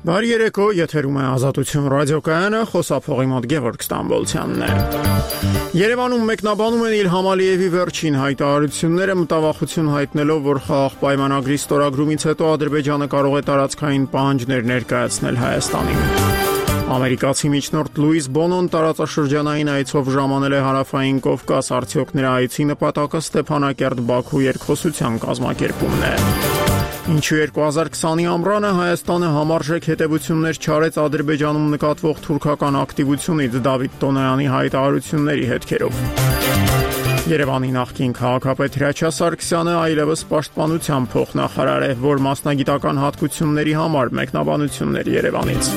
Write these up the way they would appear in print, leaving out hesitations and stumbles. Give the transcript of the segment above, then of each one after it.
Բարի երեկո, եթերում է Ազատություն ռադիոկայանը, խոսափողի մոտ Գևորգ Ստամբոլցյանն է։ Երևանում մեկնաբանում են Իլհամ Ալիևի վերջին հայտարարությունները, մտավախություն հայտնելով, որ խաղաղ պայմանագրի ստորագրումից հետո Ադրբեջանը կարող է տարածքային պահանջներ ներկայացնել Հայաստանին։ Ամերիկացի միջնորդ Լուիս Բոնոն տարածաշրջանային այցով ժամանել է Հարավային Կովկաս, արդյոք նրա այցի նպատակը Ստեփանակերտ-Բաքու երկխոսության կազմակերպումն է։ Ինչու 2020-ի ամռանը Հայաստանը համարժեք հետևություններ չարեց Ադրբեջանում նկատվող թուրքական ակտիվությունից Դավիթ Տոնոյանի հայտարարությունների հետքերով։ Երևանի նախկին քաղաքապետ Հրաչյա Սարգսյանը այլևս պաշտպանության փոխնախարար է, որ մասնագիտական հատկությունների համար մեկնաբանություններ Երևանից։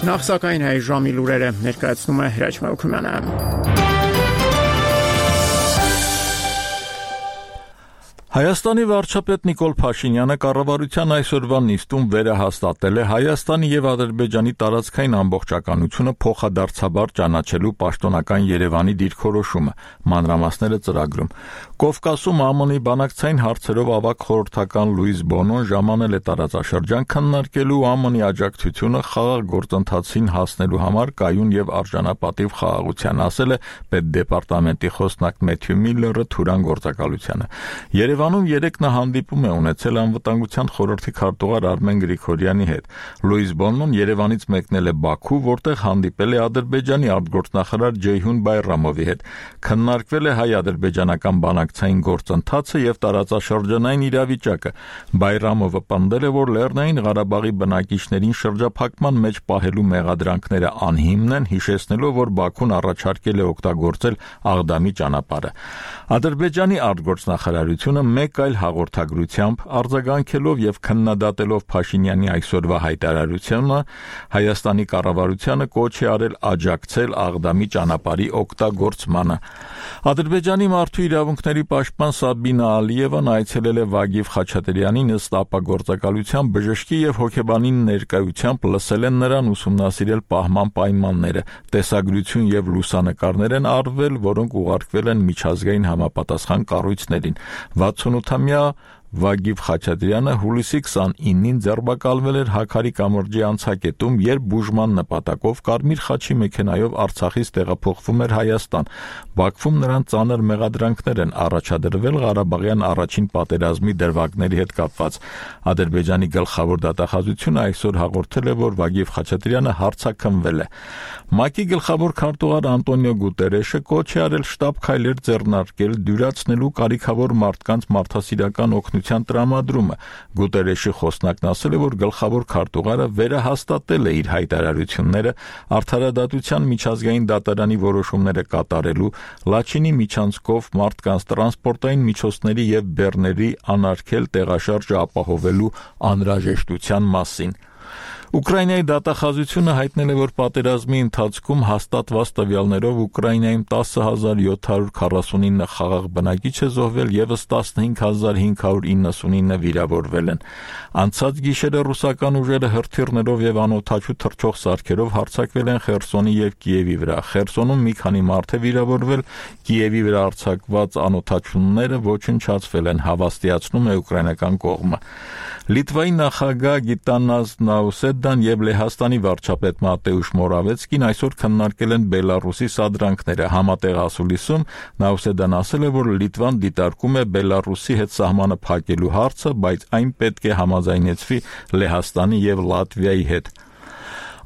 Նախ սակայն հայ ժամի լուրերը ներկայացնում է Հրաչ Մելքումյանը։ Հայաստանի վարչապետ Նիկոլ Փաշինյանը կառավարության այսօրվա նիստում վերահաստատել է Հայաստանի եւ Ադրբեջանի տարածքային ամբողջականությունը փոխադարձաբար ճանաչելու պաշտոնական Երևանի դիրքորոշումը, մանրամասները ծրագրում։ Կովկասում ԱՄՆ-ի բանակցային հարցերով ավագ խորհրդական Լուիս Բոնոն ժամանել է տարածաշրջան քննարկելու ԱՄՆ-ի աջակցությունը խաղաղ գործընթացին հասնելու համար կայուն եւ արժանապատիվ խաղաղության, ասել է պետդեպարտամենտի խոսնակ Մեթյու Միլլերը Թուրան գործակալությանը։ Երևանում երեկ նա հանդիպում է ունեցել անվտանգության խորհրդի քարտուղար Արմեն Գրիգորյանի հետ։ Լուիս Բոնոն Երևանից մեկնել է Բաքու, որտեղ հանդիպել է Ադրբեջանի արտգործնախարար Ջեյհուն Բայրամովի հետ։ Քննարկվել է հայ-ադրբեջանական բանակցային գործընթացը եւ տարածաշրջանային իրավիճակը։ Բայրամովը պնդել է, որ Լեռնային Ղարաբաղի բնակիչներին շրջափակման մեջ պահելու մեղադրանքները անհիմն են, հիշեցնելով, որ Բաքուն առաջարկել է օգտագործել Աղդամի ճանապարհը։ Ադրբեջանի արտգործնախարարությունը մեկ այլ հաղորդագրությամբ արձագանքելով եւ քննադատելով Փաշինյանի այսօրվա հայտարարությունը Հայաստանի կառավարությանը կոչ է արել աջակցել Աղդամի ճանապարհի օգտագործմանը։ Ադրբեջանի մարդու իրավունքների պաշտպան Սաբինա Ալիևան այցելել է Վագիվ Խաչատրյանին ըստ ապագործակալության բժշկի եւ հոգեբանի ներկայությամբ լսել են նրան ուսումնասիրել պահման պայմանները, տեսագրություն եւ լուսանկարներ են արվել, որոնք ուղարկվել են միջազգային համապատասխան կառույցներին։ 68-ամյա Վագիվ Խաչատրյանը հուլիսի 29-ին ձերբակալվել էր Հաքարի կամրջի անցակետում, երբ բուժման նպատակով Կարմիր խաչի մեքենայով Արցախից տեղափոխվում էր Հայաստան։ Բաքվում նրան ծանր մեղադրանքներ են առաջադրվել Ղարաբաղյան առաջին պատերազմի դրվագների հետ կապված։ Ադրբեջանի գլխավոր դատախազությունը այսօր հաղորդել է, որ Վագիվ Խաչատրյանը հարձակումվել է։ ՄԱԿ-ի գլխավոր քարտուղար Անտոնիո Գուտերեշը կոչ է արել շտապ քայլեր ձեռնարկել դյուրացնելու կարիքավոր մարդկանց մարդասիրական օգնության տրամադրումը։ Գուտերեշի խոսնակն ասել է, որ գլխավոր քարտուղարը վերահաստատել է իր հայտարարությունները Արդարադատության միջազգային դատարանի որոշումները կատարելու, Լաչինի միջանցքով մարդկանց տրանսպորտային միջոցների եւ բեռների անարգել տեղաշարժը ապահովելու անհրաժեշտության մասին։ Ուկրաինայի դատախազությունը հայտնել է, որ պատերազմի ընթացքում հաստատված տվյալներով Ուկրաինայում 10,749 խաղաղ բնակիչ է զոհվել, եւս 15,599 վիրավորվել են։ Անցած գիշերը ռուսական ուժերը հրթիռներով եւ անօդաչու թռչող սարքերով հարձակվել են Խերսոնի եւ Կիևի վրա։ Խերսոնում մի քանի մարդ է վիրավորվել, Կիևի վրա արձակված անօդաչուները ոչնչացվել են, հավաստիացնում է ուկրաինական կողմը։ Լիտվայի նախագահ Գիտանաս Նաուսեդան եւ Լեհաստանի վարչապետ Մատեուշ Մորավեցկին այսօր քննարկել են Բելարուսի սադրանքները։ Համատեղ ասուլիսում Նաուսեդան ասել է, որ Լիտվան դիտարկում է Բելարուսի հետ սահմանը փակելու հարցը, բայց այն պետք է համաձայնեցվի Լեհաստանի եւ Լատվիայի հետ։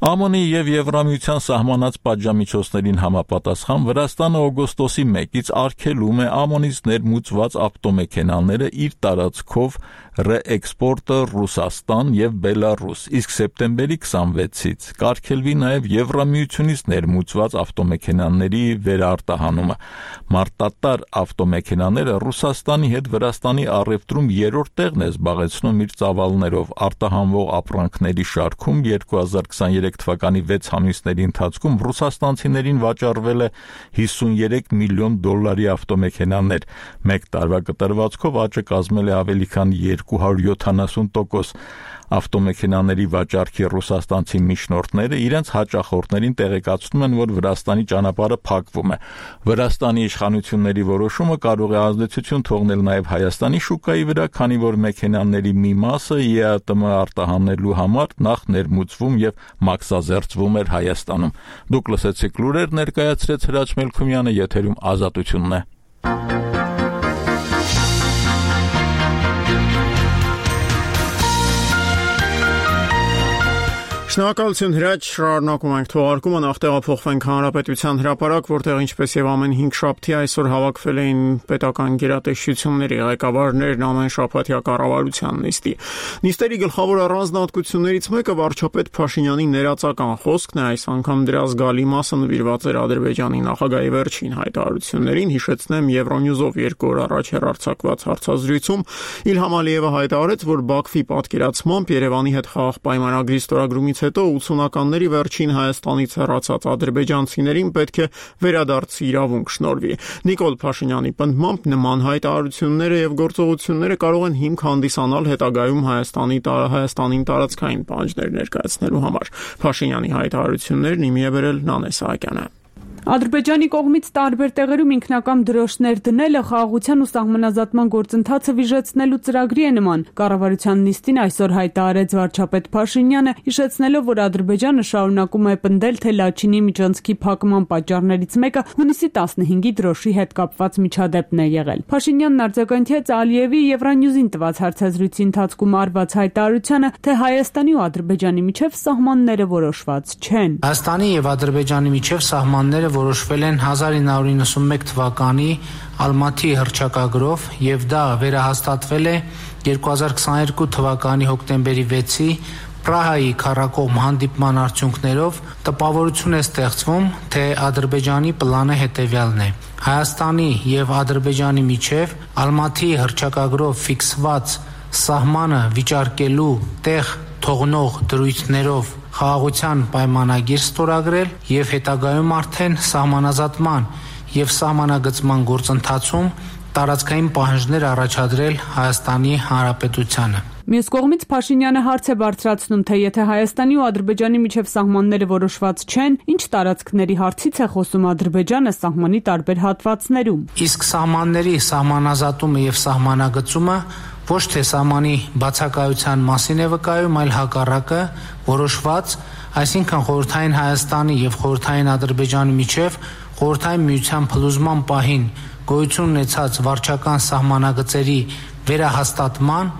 ԱՄՆ-ի եւ Եվրամիության սահմանած պատժամիջոցներին համապատասխան Վրաստանը օգոստոսի 1-ից արգելում է ԱՄՆ-ից ներմուծված ավտոմեքենաները իր տարածքով ռեէքսպորտը Ռուսաստան եւ Բելարուս, իսկ սեպտեմբերի 26-ից կարգելվի նաեւ Եվրամիությունից ներմուծված ավտոմեքենաների վերարտահանումը։ Մարտատար ավտոմեքենաները Ռուսաստանի հետ Վրաստանի առևտրում երրորդ տեղն է զբաղեցնում իր ծավալներով։ Արտահանվող ապրանքների շարքում 2023 թվականի 6 ամիսների ընթացքում ռուսաստանցիներին վաճառվել է $53 միլիոն ավտոմեքենաներ։ Մեկ տարվա կտրվածքով աճը կազմել է ավելի քան 270%։ Ավտոմեքենաների վաճառքի ռուսաստանցի միջնորդները իրենց հաճախորդներին տեղեկացնում են, որ Վրաստանի ճանապարհը փակվում է։ Վրաստանի իշխանությունների որոշումը կարող է ազդեցություն թողնել նաև Հայաստանի շուկայի վրա, քանի որ մեքենաների մի մասը ԵԱՏՄ արտահանելու համար նախ ներմուծվում եւ մաքսազերծվում էր Հայաստանում։ Դուք լսեցիք լուրեր, ներկայացրեց Հրաչ Մելքումյանը, եթերում Ազատությունն է։ Շնորհակալություն Հրաչ, շարունակում ենք թողարկումը, նախ տեղափոխվենք Հանրապետության հրապարակ, որտեղ ինչպես եւ ամեն 5 շաբթի այսօր հավաքվել էին պետական գերատեսչությունների ղեկավարներն ամեն շաբաթյա կառավարության նիստի։ Նիստերի գլխավոր առանձնահատկություններից մեկը վարչապետ Փաշինյանի ներածական խոսքն է, այս անգամ դրա զգալի մասը նվիրված էր Ադրբեջանի նախագահի վերջին հայտարարություններին։ Հիշեցնեմ, Եվրոնյուզով 2 օր առաջ հեռարձակված հարցազրույցում Իլհամ Ալիևը հայտարարեց, որ Բաքվի պատկերացմամբ Երևանի հետ խաղաղ պայմանագրի ստորագրումից հետո 80-ականների վերջին Հայաստանից հեռացած ադրբեջանցիներին պետք է վերադարձի իրավունք շնորհվի։ Նիկոլ Փաշինյանի պնդմամբ նման հայտարարությունները եւ գործողությունները կարող են հիմք հանդիսանալ հետագայում Հայաստանին տարածքային պահանջներ ներկայացնելու համար։ Փաշինյանի հայտարարություններն իմի է բերել Նանե Սահակյանը։ Ադրբեջանի կողմից տարբեր տեղերում ինքնական դրոշներ դնելը խաղաղության ու սահմանազատման գործընթացը վիժեցնելու ծրագրի է նման։ Կառավարության նիստին այսօր հայտարարեց վարչապետ Փաշինյանը, հիշեցնելով, որ Ադրբեջանը շարունակում է պնդել, թե Լաչինի միջանցքի փակման պատճառներից մեկը հունիսի 15-ի դրոշի հետ կապված միջադեպն է եղել։ Փաշինյանն արձագանքեց Ալիևի Եվրանյուզին տված հարցազրույցի ընթացքում արված հայտարարությանը, թե Հայաստանի ու Ադրբեջանի միջև սահմանները որոշված չեն։ Հայաստանի եւ Ադրբեջանի միջև սահմանները որոշվել են 1991 թվականի Ալմաթի հռչակագրով եւ դա վերահաստատվել է 2022 թվականի հոկտեմբերի 6-ի Պրահայի քառակողմ հանդիպման արդյունքներով տպավորություն է ստեղծվում, թե Ադրբեջանի պլանը հետևյալն է. Հայաստանի եւ Ադրբեջանի միջև Ալմաթի հռչակագրով ֆիքսված սահմանը վիճարկելու տեղ թողնող դրույթներով խաղաղության պայմանագիր ստորագրել եւ հետագայում արդեն սահմանազատման եւ սահմանագծման գործընթացում տարածքային պահանջներ առաջադրել Հայաստանի Հանրապետությանը։ Մյուս կողմից Փաշինյանը հարց է բարձրացնում, թե եթե Հայաստանի ու Ադրբեջանի միջև սահմանները որոշված չեն, ինչ տարածքների հարցից է խոսում Ադրբեջանը սահմանի տարբեր հատվածներում։ Իսկ սահմանների սահմանազատումը եւ սահմանագծումը ոչ թե սահմանի բացակայության մասին է վկայում, այլ հակառակը որոշված, այսինքն Խորհրդային Հայաստանի եւ Խորհրդային Ադրբեջանի միջև Խորհրդային Միության փլուզման պահին գոյություն ունեցած վարչական սահմանագծերի վերահաստատման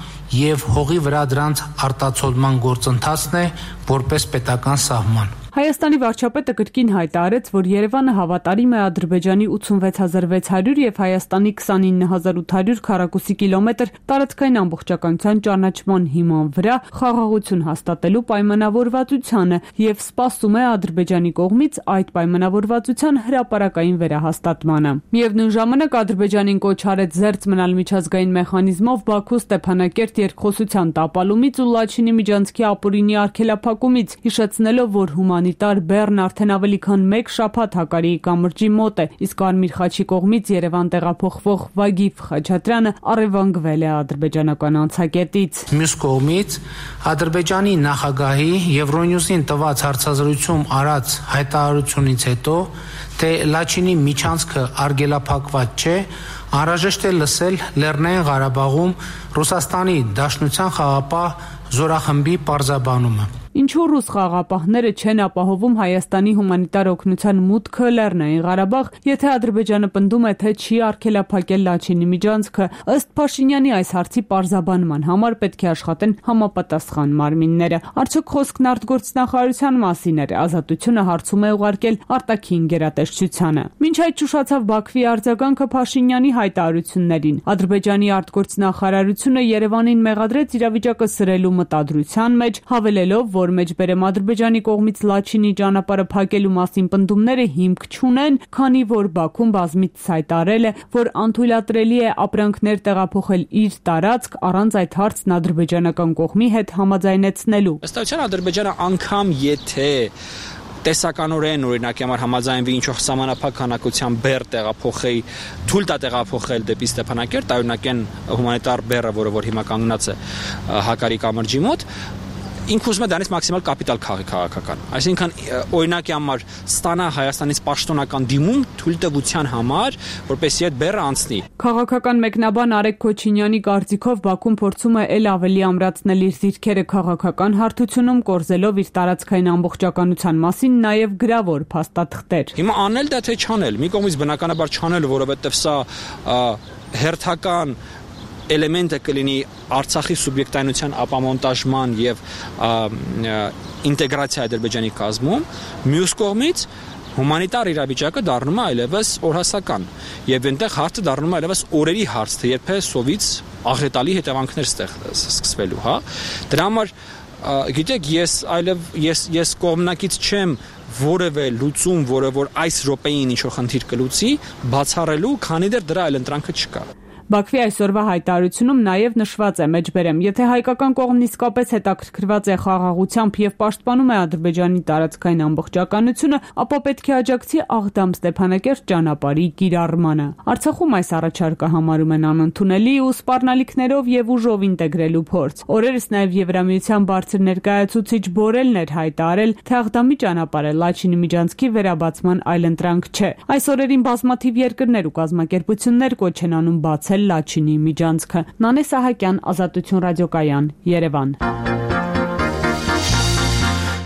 եւ հողի վրա դրանց արտացոլման գործընթացն է որպես պետական սահման։ Հայաստանի վարչապետը կրկին հայտարարեց, որ Երևանը հավատարիմ է Ադրբեջանի 86600 եւ Հայաստանի 29800 քառակուսի կիլոմետր տարածքային ամբողջականության ճանաչման հիման վրա խաղաղություն հաստատելու պայմանավորվածությանը եւ սպասում է Ադրբեջանի կողմից այդ պայմանավորվածության հրապարակային վերահաստատմանը։ Միևնույն ժամանակ Ադրբեջանին կոչ արեց զերծ մնալ միջազգային մեխանիզմով Բաքու Ստեփանակերտ երկխոսության տապալումից ու Լաչինի միջանցքի ապօրինի արգելափակումից, հիշեցնելով, որ հումանիտար բեռն արդեն ավելի քան 1 շաբաթ Հակարիի կամրջի մոտ է, իսկ Կարմիր խաչի կողմից Երևան տեղափոխվող Վագիֆ Խաչատրյանը առևանգվել է ադրբեջանական անցակետից։ Մյուս կողմից Ադրբեջանի նախագահի Եվրոնյուզին տված հարցազրույցում արած հայտարարությունից հետո, թե Լաչինի միջանցքը արգելափակված չէ, անհրաժեշտ է լսել Լեռնային Ղարաբաղում Ռուսաստանի Դաշնության խաղաղապահ զորախմբի պարզաբանումը։ Ինչու ռուս խաղաղապահները չեն ապահովում Հայաստանի հումանիտար օգնության մուտքը Լեռնային Ղարաբաղ, եթե Ադրբեջանը պնդում է, թե չի արգելափակել Լաչինի միջանցքը, ըստ Փաշինյանի այս հարցի պարզաբանման համար պետք է աշխատեն համապատասխան մարմինները։ Արդյոք խոսքն արտգործնախարարության մասին էր, Ազատությունը հարցում է ուղարկել արտաքին գերատեսչությանը։ Մինչ այդ շուշացավ Բաքվի արձագանքը Փաշինյանի հայտարարություններին։ Ադրբեջանի արտգործնախարարությունը Երևանին մեղադրեց իրավիճակը սրելու մտադրության մեջ, հավելելով, որ մեջբերեմ Ադրբեջանի կողմից Լաչինի ճանապարհը փակելու մասին պնդումները հիմք չունեն, քանի որ Բաքուն բազմիցս հայտարարել է, որ անթույլատրելի է ապրանքներ տեղափոխել իր տարածք առանց այդ հարցն ադրբեջանական կողմի հետ համաձայնեցնելու։ Ըստ էության Ադրբեջանը անգամ եթե տեսականորեն օրինակ համար համաձայնվի ինչ-որ սահմանափակ քանակության բեռ տեղափոխել, թույլ տա տեղափոխել դեպի Ստեփանակերտ, օրինակ այն հումանիտար բեռը, որ հիմա կանգնած է Հակարի կամրջի մոտ, ինքը ուզում է դրանից մաքսիմալ կապիտալ քաղի քաղաքական։ Այսինքն օրինակի համար ստանա Հայաստանից պաշտոնական դիմում թույլտվության համար, որպեսզի այդ բեռը անցնի։ Քաղաքական մեկնաբան Արեգ Քոչինյանի կարծիքով Բաքուն փորձում է ել ավելի ամրացնել իր դիրքերը քաղաքական հարթությունում, կորզելով իր տարածքային ամբողջականության մասին նաև գրավոր փաստաթղթեր։ Հիմա անել դա թե չանել։ Մի կողմից բնականաբար չանել, որովհետև սա հերթական էլեմենտը կլինի Արցախի սուբյեկտայնության ապամոնտաժման եւ ինտեգրացիա Ադրբեջանի կազմում, մյուս կողմից հումանիտար իրավիճակը դառնում է այլևս օրհասական եւ այնտեղ հարցը դառնում է այլևս օրերի հարց, թե երբ է սովից աղետալի հետևանքներ սկսվելու, հա։ Դրա համար գիտեք, ես կողմնակից չեմ որևէ լուծում, որը որ այս րոպեին ինչ-որ խնդիր կլուծի, բացառելու, քանի դեռ դրա այլ ընտրանքը չկա։ Բաքվի այսօրվա հայտարարությունում նաև նշված է մեջբերեմ, եթե հայկական կողմն իսկապես հետաքրքրված է խաղաղությամբ եւ պաշտպանում է Ադրբեջանի տարածքային ամբողջականությունը, ապա պետք է աջակցի Աղդամ-Ստեփանակերտ ճանապարհի կիրառմանը։ Արցախում այս առաջարկը համարում են անընդունելի ու սպառնալիքներով եւ ուժով ինտեգրելու փորձ։ Օրերս նաև Եվրամիության բարձր ներկայացուցիչ Բորելն էր հայտարարել, թե Աղդամի ճանապարհը Լաչինի միջանցքի վերաբացման այլընտրանք չէ։ Այս օրերին բազմաթիվ երկրներ ու կազմակերպություններ կոչ են անում բացել Լաչինի միջանցքը։ Նանե Սահակյան, Ազատություն ռադիոկայան, Երևան։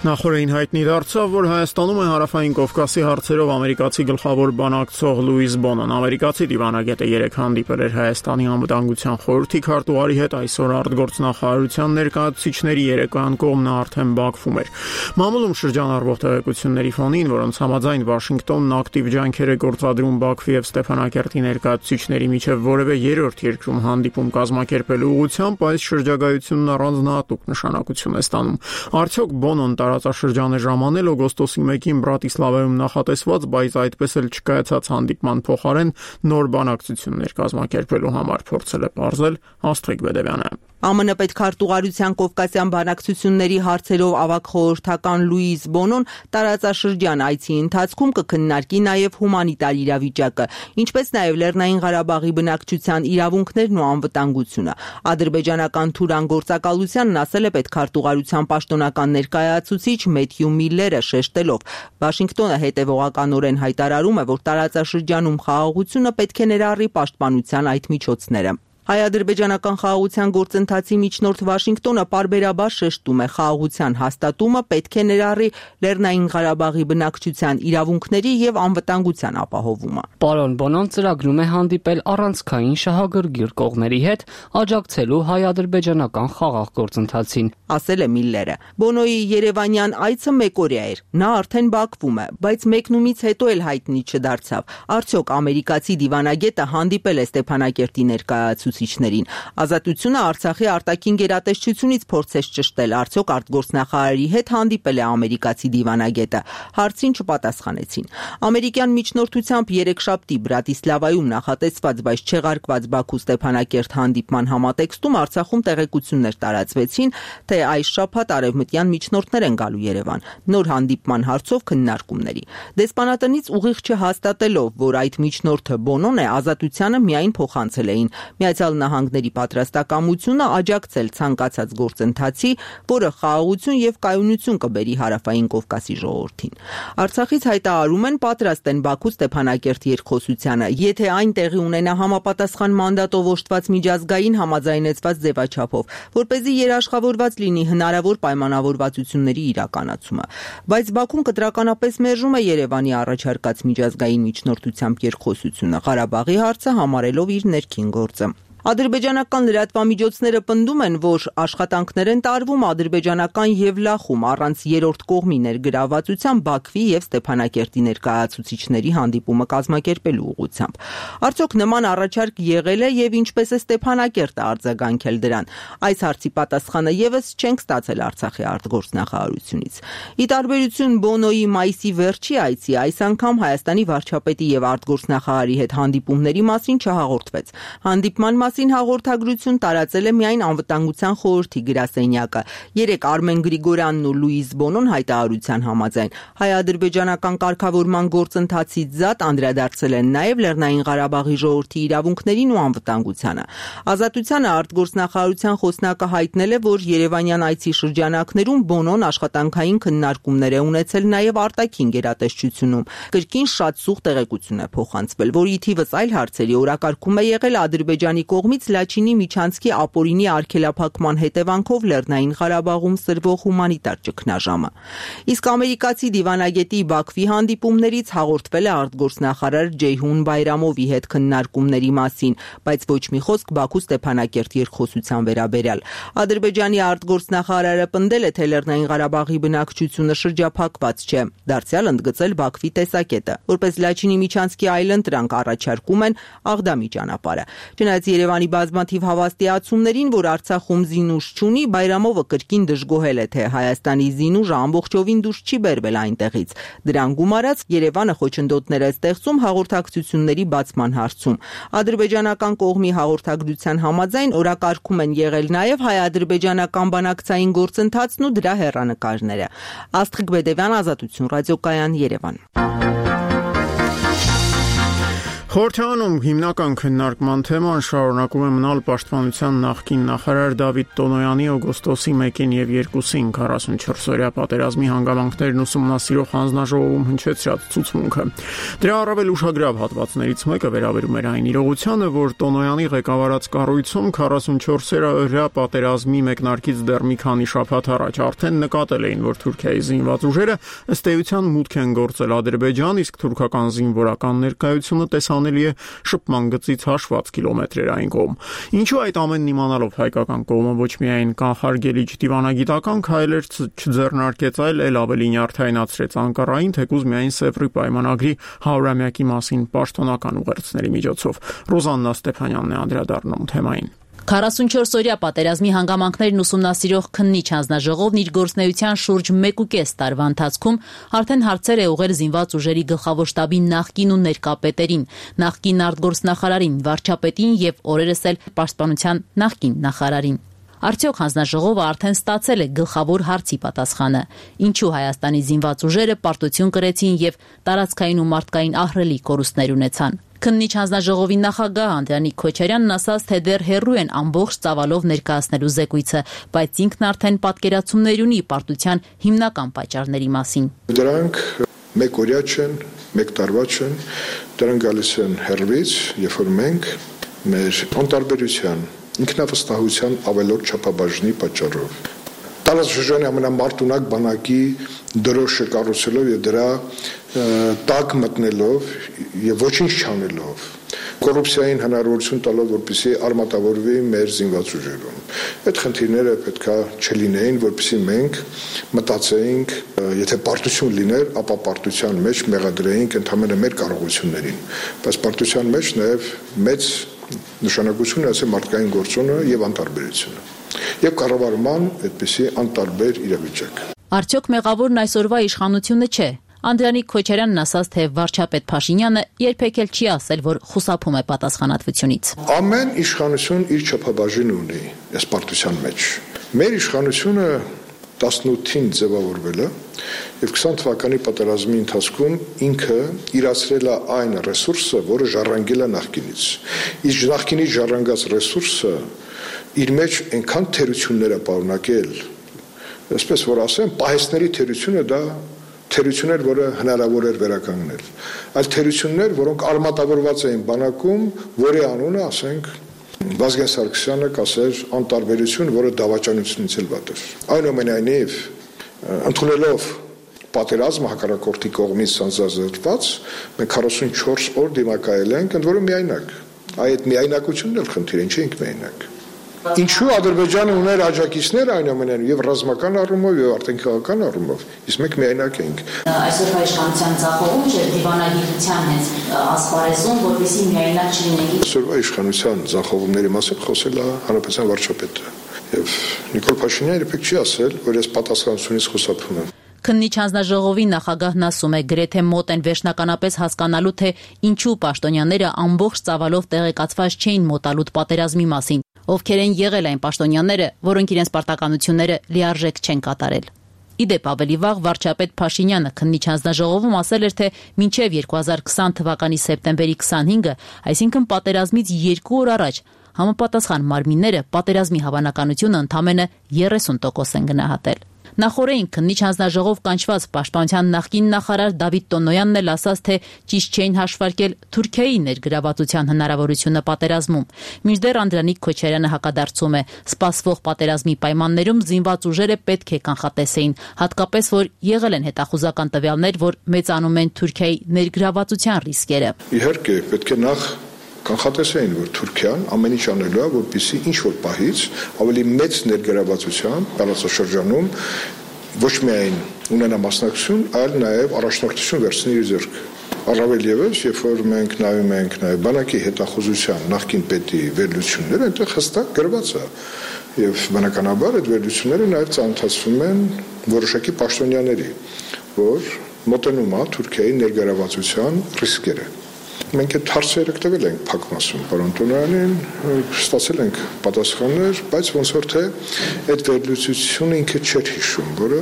Նախորդին հայտնի դարձավ, որ Հայաստանում է Հարավային Կովկասի հարցերով ամերիկացի գլխավոր բանակցող Լուիս Բոնոն։ Ամերիկացի դիվանագետը 3 հանդիպել էր Հայաստանի անվտանգության խորհրդի քարտուղարի հետ, այսօր արտգործնախարարության ներկայացուցիչների երեկոյան կողմն արդեն Բաքվում էր։ Մամուլում շրջանառվող տեղեկությունների ֆոնին, որոնց համաձայն Վաշինգտոնն ակտիվ ջանքեր է գործադրում Բաքվի եւ Ստեփանակերտի ներկայացուցիչների միջև որևէ երրորդ երկրում հանդիպում կազմակերպելու ուղղությամբ, այս շրջագայությունն առանձնահատուկ նշանակություն է ստանում։ Արդյոք Բոնոն տարածաշրջան է ժամանել օգոստոսի 1-ին Բրատիսլավայում նախատեսված, բայց այդպես էլ չկայացած հանդիպման փոխարեն նոր բանակցություններ կազմակերպելու համար, փորձել է պարզել Աստղիկ Բեդևյանը։ ԱՄՆ պետքարտուղարության կովկասյան բանակցությունների հարցերով ավագ խորհրդական Լուիս Բոնոն տարածաշրջան այցի ընթացքում կքննարկի նաև հումանիտար իրավիճակը, ինչպես նաև Լեռնային Ղարաբաղի բնակչության իրավունքներն ու անվտանգությունը։ Ադրբեջանական Թուրան գործակալությանն ասել է պետքարտուղարության պաշտոնական ներկայացուցիչ Մեթյու Միլլերը, շեշտելով. Վաշինգտոնը հետևողականորեն հայտարարում է, որ տարածաշրջանում խաղաղությունը պետք է ներառի պաշտպանության այդ միջոցները։ Հայ-ադրբեջանական խաղաղության գործընթացի միջնորդ Վաշինգտոնը պարբերաբար շեշտում է խաղաղության հաստատումը պետք է ներառի Լեռնային Ղարաբաղի բնակչության իրավունքների եւ անվտանգության ապահովումը։ Պարոն Բոնոն ծրագրում է հանդիպել առանցքային շահագրգիռ կողմերի հետ, աջակցելու հայ-ադրբեջանական խաղաղ գործընթացին, ասել է Միլլերը։ Բոնոյի երևանյան այցը մեկօրյա էր, նա արդեն Բաքվում է, բայց մեկնումից հետո էլ հայտնի չդարձավ։ Արդյոք ամերիկացի դիվանագետը հանդիպել է Ստեփանակերտի ներկայացուցիչներին։ Ազատությունը Արցախի արտաքին գերատեսչությունից փորձեց ճշտել, արդյոք արտգործնախարարի հետ հանդիպել է ամերիկացի դիվանագետը։ Հարցին չպատասխանեցին։ Ամերիկյան միջնորդությամբ երեքշաբթի Բրատիսլավայում նախատեսված, բայց չեղարկված Բաքու-Ստեփանակերտ հանդիպման համատեքստում Արցախում տեղեկություններ տարածվեցին, թե այս շաբաթ արևմտյան միջնորդներ են գալու Երևան նոր հանդիպման հարցով քննարկումների։ Դեսպանատնից ուղիղ չհաստատելով, որ այդ միջնորդը Բոնոն է, Ազատությանը միայն փոխանցել էին Միացյալ Նահանգների պատրաստակամությունը աջակցել ցանկացած գործընթացի, որը խաղաղություն եւ կայունություն կբերի Հարավային Կովկասի ժողովրդին։ Արցախից հայտարարում են պատրաստ են Բաքու-Ստեփանակերտ երկխոսությանը, եթե այն տեղի ունենա համապատասխան մանդատով օժտված միջազգային համաձայնեցված ձևաչափով, որպեսզի երաշխավորված լինի հնարավոր պայմանավորվածությունների իրականացումը։ Բայց Բաքուն կտրականապես մերժում է Երևանի առաջարկած միջազգային միջնորդությամբ երկխոսությունը, Ղարաբաղի հարցը համարելով իր ներքին գործը։ Ադրբեջանական լրատվամիջոցները պնդում են, որ աշխատանքներ են տարվում ադրբեջանական եւ Լախում առանց երրորդ կողմի ներգրավվածության Բաքվի եւ Ստեփանակերտի ներկայացուցիչների հանդիպումը կազմակերպելու ուղղությամբ։ Արդյոք նման առաջարկ եղել է եւ ինչպես է Ստեփանակերտը արձագանքել դրան։ Այս հարցի պատասխանը եւս չենք ստացել Արցախի արտգործնախարարությունից։ Ի տարբերություն Բոնոյի մայիսի վերջի այցի, այս անգամ Հայաստանի վարչապետի եւ արտգործնախարարի հետ հանդիպումների մասին չհաղորդվեց։ Հանդիպման մասին հաղորդագրություն տարածել է միայն անվտանգության խորհրդի գրասենյակը։ Երեկ Արմեն Գրիգորյանն ու Լուիզ Բոնոն հայտարարության համաձայն հայ-ադրբեջանական կարգավորման գործընթացից զատ անդրադարձել են նաև Լեռնային Ղարաբաղի ժողովրդի իրավունքներին ու անվտանգությանը։ Ազատությանը արտգործնախարարության խոսնակը հայտնել է, որ Երևանյան այցի շրջանակներում Բոնոն աշխատանքային քննարկումներ է ունեցել նաև արտաքին գերատեսչությունում։ Կրկին շատ սուղ տեղեկություն է փոխանցվել, որի թիվս այլ հարցերի օրակարգում է եղել Ադրբեջանի կողմից Լաչինի միջանցքի ապօրինի արգելափակման հետևանքով Լեռնային Ղարաբաղում սրվող հումանիտար ճգնաժամը։ Իսկ ամերիկացի դիվանագետի Բաքվի հանդիպումներից հաղորդվել է արտգործնախարար Ջեյհուն Բայրամովի հետ քննարկումների մասին, բայց ոչ մի խոսք Բաքու Ստեփանակերտ երկխոսության վերաբերյալ։ Ադրբեջանի արտգործնախարարը պնդել է, թե Լեռնային Ղարաբաղի բնակչությունը շրջափակված չէ, դարձյալ ընդգծել Բաքվի տեսակետը, որպես Լաչինի միջանցքի այլընտրանք առաջարկում են Աղդամի ճանապարհը։ Չնայած Երևանի բազմաթիվ հավաստիացումներին, որ Արցախում զինուժ չունի, Բայրամովը կրկին դժգոհել է, թե Հայաստանի զինուժը ամբողջովին դուրս չի բերվել այնտեղից։ Դրան գումարած Երևանը խոչընդոտներ է ստեղծում հաղորդակցությունների բացման հարցում։ Ադրբեջանական կողմի հաղորդագրության համաձայն օրակարգում են եղել նաև հայ-ադրբեջանական բանակցային գործընթացն ու դրա հեռանկարները։ Աստղիկ Բեդևյան, Ազատություն ռադիոկայան, Երևան։ Խորհրդանում հիմնական քննարկման թեման շարունակում է մնալ պաշտպանության նախկին նախարար Դավիթ Տոնոյանի օգոստոսի 1-ին եւ 2-ին 44-օրյա պատերազմի հանգամանքներն ուսումնասիրող հանձնաժողովում հնչեցրած ցուցմունքը։ Դրա առավել ուշագրավ հատվածներից մեկը վերաբերում էր այն իրողությանը, որ Տոնոյանի ղեկավարած կառույցում 44-օրյա պատերազմի մեկնարկից դեռ մի քանի շաբաթ առաջ արդեն նկատել էին, որ Թուրքիայի զինված ուժերը ըստ էության մուտք են գործել Ադրբեջան, իսկ թուրքական զինվորական ներկայությունը տեսանելի է շփման գծից հաշված կիլոմետրերային կողմ։ Ինչու այդ ամենն իմանալով հայկական կողմը ոչ միայն կանխարգելիչ դիվանագիտական քայլեր չձեռնարկեց, այլ ավելի նյարդայնացրեց Անկարային, թեկուզ միայն Սևրի պայմանագրի 100-ամյակի մասին պաշտոնական ուղերձների միջոցով։ Ռոզաննա Ստեփանյանն է անդրադառնում թեմային։ 44-օրյա պատերազմի հանգամանքներն ուսումնասիրող քննիչ հանձնաժողովն իր գործունեության շուրջ 1.5 տարվա ընթացքում արդեն հարցեր է ուղղել զինված ուժերի գլխավոր շտաբի նախկին ու ներկա պետերին, նախկին արտգործնախարարին, վարչապետին եւ օրերս էլ պաշտպանության նախկին նախարարին։ Արդյոք հանձնաժողովը արդեն ստացել է գլխավոր հարցի պատասխանը։ Ինչու Հայաստանի զինված ուժերը պարտություն կրեցին եւ տարածքային ու մարդկային ահռելի կորուստներ ունեցան։ Քննիչ հանձնաժողովի նախագահ Անդրանիկ Քոչարյանն ասաց, թե դեռ հեռու են ամբողջ ծավալով ներկայացնելու զեկույցը, բայց ինքն արդեն պատկերացումներ ունի պարտության հիմնական պատճառների մասին։ Դրանք մեկօրյա չեն, մեկ տարվա չեն, դրանք գալիս են հեռվից, երբ որ մենք մեր անտարբերության, ինքնավստահության ավելորդ չափաբաժնի պատճառով տարածաշրջանի ամենամարտունակ բանակի դրոշը կառուցելով եւ դրա տակ մտնելով եւ ոչինչ չանելով կոռուպցիային հնարավորություն տալով, որպեսզի արմատավորվի մեր զինված ուժերում։ Այդ խնդիրները պետքա չլինեին, որպեսզի մենք մտածեինք, եթե պարտություն լիներ, ապա պարտության մեջ մեղադրեինք ընդհանրապես մեր կարողություններին, բայց պարտության մեջ նաեւ մեծ նշանակություն է ասել մարդկային գործոնը եւ անտարբերությունը եւ կառավարման այդպիսի անտարբեր իրավիճակ։ Արդյոք մեղավորն այսօրվա իշխանությունը չէ։ Անդրանիկ Քոչարյանն ասաց, թե վարչապետ Փաշինյանը երբեք էլ չի ասել, որ խուսափում է պատասխանատվությունից։ Ամեն իշխանություն իր չափաբաժինը ունի այս պարտության մեջ։ Մեր իշխանությունը 18-ին ձևավորվել է եւ 20 թվականի պատերազմի ընթացքում ինքը իրացրել է այն ռեսուրսը, որը ժառանգել է նախկինից։ Իսկ նախկինից ժառանգած ռեսուրսը իր մեջ այնքան թերություններ է պարունակել, այսպես որ ասեմ, պահեստների թերությունը դա թերություններ, որը հնարավոր էր վերականգնել։ Այլ թերություններ, որոնք արմատավորված էին բանակում, որի անունը, ասենք, Վազգեն Սարգսյանը կասեր անտարբերություն, որը դավաճանությունից էլ վատ էր։ Այնուամենայնիվ, ընդունելով պատերազմը հակառակորդի կողմից սանձազերծված, մենք 44 օր դիմակայել ենք, ընդ որում միայնակ։ Այդ միայնակությունն էլ խնդիր է, չէինք միայնակ։ Ինչու Ադրբեջանը ուներ աջակիցներ այնուամենայնիվ եւ ռազմական առումով եւ արտաքինական առումով, իսկ մենք միայնակ էինք։ Այսօր իշխանության ցախողում չէ դիվանագիտության հենց ասպարեզում, որովհետեւ միայնակ չլինենք։ Այսօրվա իշխանության ցախողումների մասին խոսել է հանրապետության վարչապետը եւ Նիկոլ Փաշինյանը երբեք չի ասել, որ ես պատասխանատվությունից խուսափում եմ։ Քննիչ հանձնաժողովի նախագահն ասում է, գրեթե մոտ են վերջնականապես հասկանալու, թե ինչու պաշտոնյաները ամբողջ ծավալով տեղեկացված չէին մոտալուտ պատերազմի մասին, ովքեր են եղել այն պաշտոնյաները, որոնք իրենց պարտականությունները լիարժեք չեն կատարել։ Իդեպ ավելի վաղ վարչապետ Փաշինյանը քննիչ հանձնաժողովում ասել էր, թե մինչև 2020 թվականի սեպտեմբերի 25-ը, այսինքն պատերազմից 2 օր առաջ, համապատասխան մարմինները պատերազմի հավանականությունը ընդամենը 30% են գնահատել։ Նախորդին քննիչ հանձնաժողով կանչված պաշտպանության նախկին նախարար Դավիթ Տոնոյանն էլ ասաց, թե ճիշտ չէին հաշվարկել Թուրքիայի ներգրավվածության հնարավորությունը պատերազմում։ Մինչդեռ Անդրանիկ Քոչարյանը հակադարձում է, սպասվող պատերազմի պայմաններում զինված ուժերը պետք է կանխատեսեին, հատկապես որ եղել են հետախուզական տվյալներ, որ մեծանում են Թուրքիայի ներգրավվածության ռիսկերը։ Իհարկե, պետք է նախ կանխատեսեին, որ Թուրքիան ամեն ինչ անելու է, որպեսզի ինչ որ պահից ավելի մեծ ներգրավվածության տարածաշրջանում ոչ միայն ունենա մասնակցություն, այլ նաև առաջնորդություն վերցնի իր ձեռք։ Առավել ևս, երբ որ մենք նայում ենք նաև բանակի հետախուզության նախկին պետի վերլուծությունները, այնտեղ հստակ գրված է։ Եվ բնականաբար այդ վերլուծությունները նաև ծանոթացվում են որոշակի պաշտոնյաների, որ մոտենում է Թուրքիայի ներգրավվածության ռիսկերը։ Մենք այդ հարցերը տվել ենք փակմասում, պարոն Տոնոյանին, ստացել ենք պատասխաններ, բայց ոնց որ թե այդ վերլուծությունը ինքը չէր հիշում, որը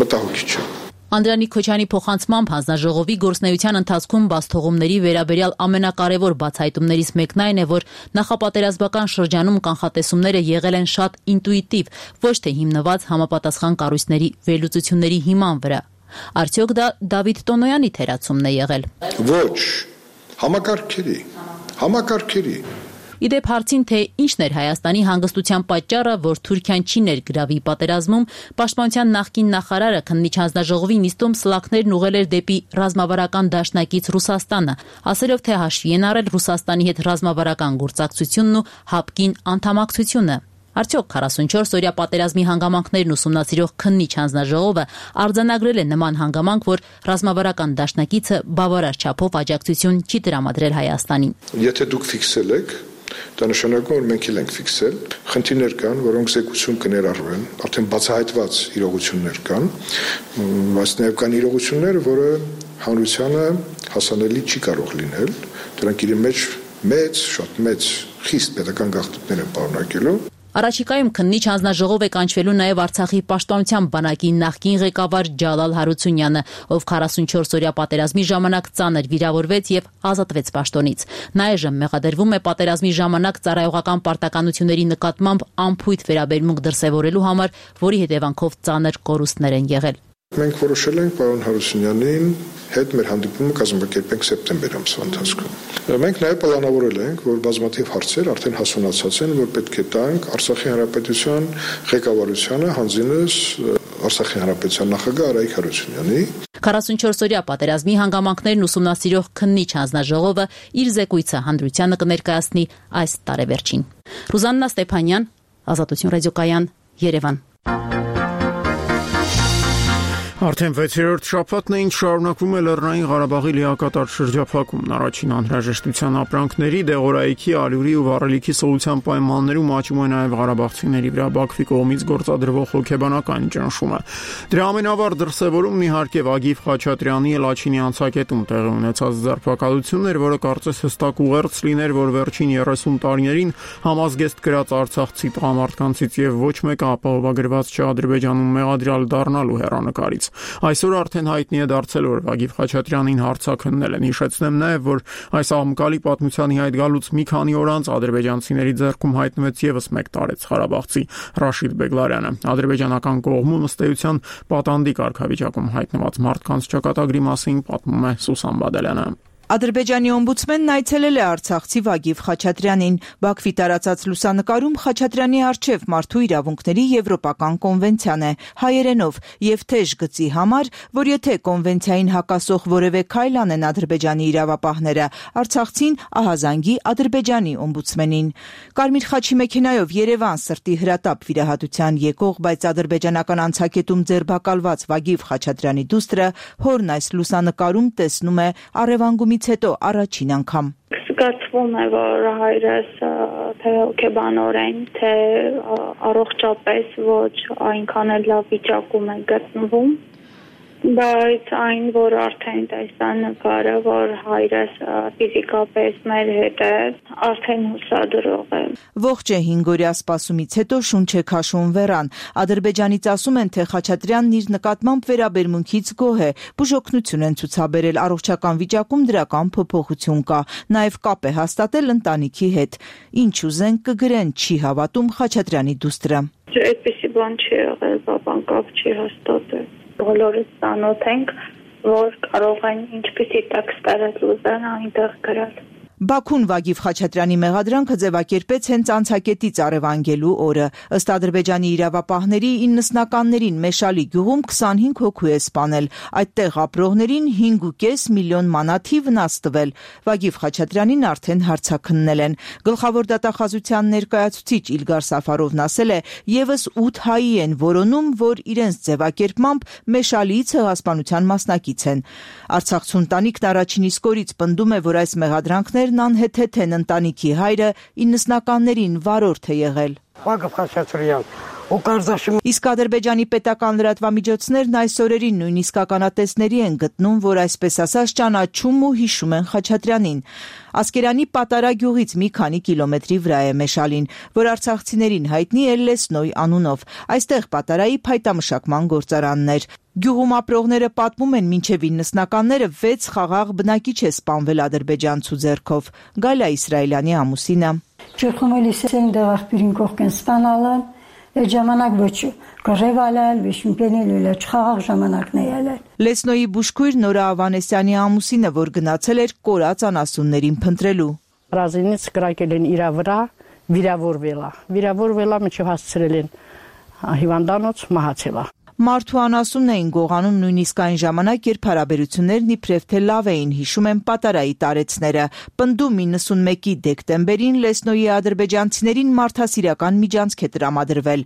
մտահոգիչ է։ Անդրանիկ Քոչյանի փոխանցմամբ հանձնաժողովի գործունեության ընթացքում բացթողումների վերաբերյալ ամենակարևոր բացահայտումներից մեկն այն է, որ նախապատերազմական շրջանում կանխատեսումները եղել են շատ ինտուիտիվ, ոչ թե հիմնված համապատասխան կառույցների վերլուծությունների հիման վրա։ Արդյոք դա Դավիթ Տոնոյանի թերացումն է եղել։ Ոչ, համակարգերի։ Իդեպ հարցին, թե ինչն էր Հայաստանի հանգստության պատճառը, որ Թուրքիան չի ներգրավի պատերազմում, պաշտպանության նախկին նախարարը քննիչ հանձնաժողովի նիստում սլաքներն ուղղել էր դեպի ռազմավարական դաշնակից Ռուսաստանը, ասելով, թե հաշվի են առել Ռուսաստանի հետ ռազմավարական գործակցությունն ու ՀԱՊԿ-ին անդամակցությունը։ Արդյոք 44-օրյա պատերազմի հանգամանքներն ուսումնասիրող քննիչ հանձնաժողովը արձանագրել է նման հանգամանք, որ ռազմավարական դաշնակիցը բավարար չափով աջակցություն չի տրամադրել Հայաստանին։ Եթե դուք ֆիքսել եք, դա նշանակում որ մենք էլ ենք ֆիքսել, խնդիրներ կան, որոնք զեկուցում կներառվեն, արդեն բացահայտված իրողություններ կան, բայց նաև կան իրողություններ, որը հանրությանը հասանելի չի կարող լինել, դրանք իրեն մեջ շատ մեծ խիստ պետական գաղտնիքներ են պարունակելու։ Առաջիկայում քննիչ հանձնաժողով է կանչվելու նաև Արցախի պաշտպանության բանակի նախկին ղեկավար Ջալալ Հարությունյանը, ով 44-օրյա պատերազմի ժամանակ ծանր վիրավորվեց եւ ազատվեց պաշտոնից։ Նա այժմ մեղադրվում է պատերազմի ժամանակ ծառայողական պարտականությունների նկատմամբ անփույթ վերաբերմունք դրսևորելու համար, որի հետևանքով ծանր կորուստներ են եղել։ Մենք որոշել ենք պարոն Հարությունյանին հետ մեր հանդիպումը կազմակերպենք սեպտեմբեր ամսվա ընթացքում։ Մենք նաև պլանավորել ենք, որ բազմաթիվ հարցեր արդեն հասունացած են, որ պետք է տանք Արցախի հանրապետության ղեկավարությանը, հանձինս Արցախի հանրապետության նախագահ Արայիկ Հարությունյանի։ 44-օրյա պատերազմի հանգամանքներն ուսումնասիրող քննիչ հանձնաժողովը իր զեկույցը հանրությանը կներկայացնի այս տարեվերջին։ Ռուզաննա Ստեփանյան, Ազատություն ռադիոկայան, Երևան։ Արդեն 6-րդ շաբաթն է, ինչ շարունակվում է Լեռնային Ղարաբաղի լիակատար շրջափակումն, առաջին անհրաժեշտության ապրանքների, դեղորայքի, ալյուրի ու վառելիքի սոցիալ պայմաններում աճում է նաև ղարաբաղցիների վրա Բաքվի կողմից գործադրվող հոգեբանական ճնշումը։ Դրա ամենավառ դրսևորումն իհարկե Վագիվ Խաչատրյանի Լաչինի անցակետում տեղի ունեցած ձերբակալությունն էր, որը կարծես հստակ ուղերձ լիներ, որ վերջին 30 տարիներին համազգեստ գրած արցախցի տղամարդկանցից եւ ոչ մեկը ապահովագրված չէ Ադրբեջանում մեղադրյալ դառնալու հեռանկարից։ Այսօր արդեն հայտնի է դարձել, որ Վագիվ Խաչատրյանին հարձակումներ են։ Հիշեցնեմ նաև, որ այս աղմկալի պատմությանի հետ գալուց մի քանի օր անց ադրբեջանցիների ձեռքում հայտնվեց եւս մեկ տարեց ղարաբաղցի Ռաշիդ Բեգլարյանը։ Ադրբեջանական կողմում ըստ էության պատանդի կարգավիճակում հայտնված մարդկանց ճակատագրի մասին պատմում է Սուսան Բադալյանը։ Ադրբեջանի օմբուդսմենն այցելել է արցախցի Վագիվ Խաչատրյանին։ Բաքվի տարածած լուսանկարում Խաչատրյանի առջև մարդու իրավունքների եվրոպական կոնվենցիան է, հայերենով եւ թեժ գծի համար, որ եթե կոնվենցիային հակասող որևէ քայլ անեն Ադրբեջանի իրավապահները, արցախցին ահազանգի Ադրբեջանի օմբուդսմենին։ Կարմիր խաչի մեքենայով Երևան սրտի հրատապ վիրահատության եկող, բայց ադրբեջանական անցակետում ձերբակալված Վագիվ Խաչատրյանի դուստրը հորն այս լուսանկարում տեսնում է առևանգումից մեկնումից հետո առաջին անգամ։ Զգացվում է, որ հայրս թե հոգեբանորեն, թե առողջապես ոչ այնքան էլ լավ վիճակում է գտնվում, բայց այն, որ արդեն տեսա նկարը, որ հայրս ֆիզիկապես մեր հետ է, արդեն հուսադրող է։ Ողջ է 5 օրյա սպասումից հետո շունչ է քաշում Վերան։ Ադրբեջանից ասում են, թե Խաչատրյանն իր նկատմամբ վերաբերմունքից գոհ է, բուժօգնություն են ցուցաբերել, առողջական վիճակում դրական փոփոխություն կա, նաև կապ է հաստատել ընտանիքի հետ։ Ինչ ուզեն կգրեն, չի հավատում Խաչատրյանի դուստրը։ Այդպիսի բան չի եղել, բաբան կապ չի հաստատել։ Բոլորս ծանոթ ենք, որ կարող են ինչպիսի տեքստեր ուզեն այնտեղ գրել։ Բաքուն Վագիվ Խաչատրյանի մեղադրանքը ձևակերպեց հենց անցակետից առևանգելու օրը։ Ըստ Ադրբեջանի իրավապահների 90-ականներին Մեշալի գյուղում 25 հոգու է սպանել, այդտեղ ապրողներին 5.5 միլիոն մանաթի վնաս տվել։ Վագիվ Խաչատրյանին արդեն հարցաքննել են։ Գլխավոր դատախազության ներկայացուցիչ Իլգար Սաֆարովն ասել է, եւս 8 հայի են որոնում, որ իրենց ձևակերպմամբ Մեշալիի ցեղասպանության մասնակից են։ Արցախցու ընտանիքն առաջին իսկ օրից պնդում է, որ այս մեղադրանքներն անհեթեթ են, ընտանիքի հայրը 90-ականներին վարորդ է եղել։ Իսկ Ադրբեջանի պետական լրատվամիջոցներն այս օրերին նույնիսկ ականատեսների են գտնում, որ այսպես ասած ճանաչում ու հիշում են Խաչատրյանին։ Ասկերանի Պատարա գյուղից մի քանի կիլոմետրի վրա է Մեշալին, որ արցախցիներին հայտնի է Լեսնոյ անունով։ Այստեղ Պատարայի փայտամշակման գործարանն էր։ Գյուղում ապրողները պատմում են, մինչև 90-ականները 6 խաղաղ բնակիչ է սպանվել ադրբեջանցու ձեռքով։ Գալա Իսրայելյանի ամուսինը։ Այդ ժամանակ ոչ կռևալալ, վիշմպենել չխաղաղ ժամանակն է ելել։ Լեսնոյի բուժքույր Նորա Ավանեսյանի ամուսինը, որ գնացել էր կորած անասուններին փնտրելու։ Ռազինից կրակել են իր վրա, վիրավորվել է, մինչև հասցրել են հիվանդանոց, մահացել է։ Մարդու անասունն էին գողանում նույնիսկ այն ժամանակ, երբ հարաբերություններն իբրև թե լավ էին, հիշում են Պատարայի տարեցները։ Պնդում 91-ի դեկտեմբերին Լեսնոյի ադրբեջանցիներին մարդասիրական միջանցք է տրամադրվել։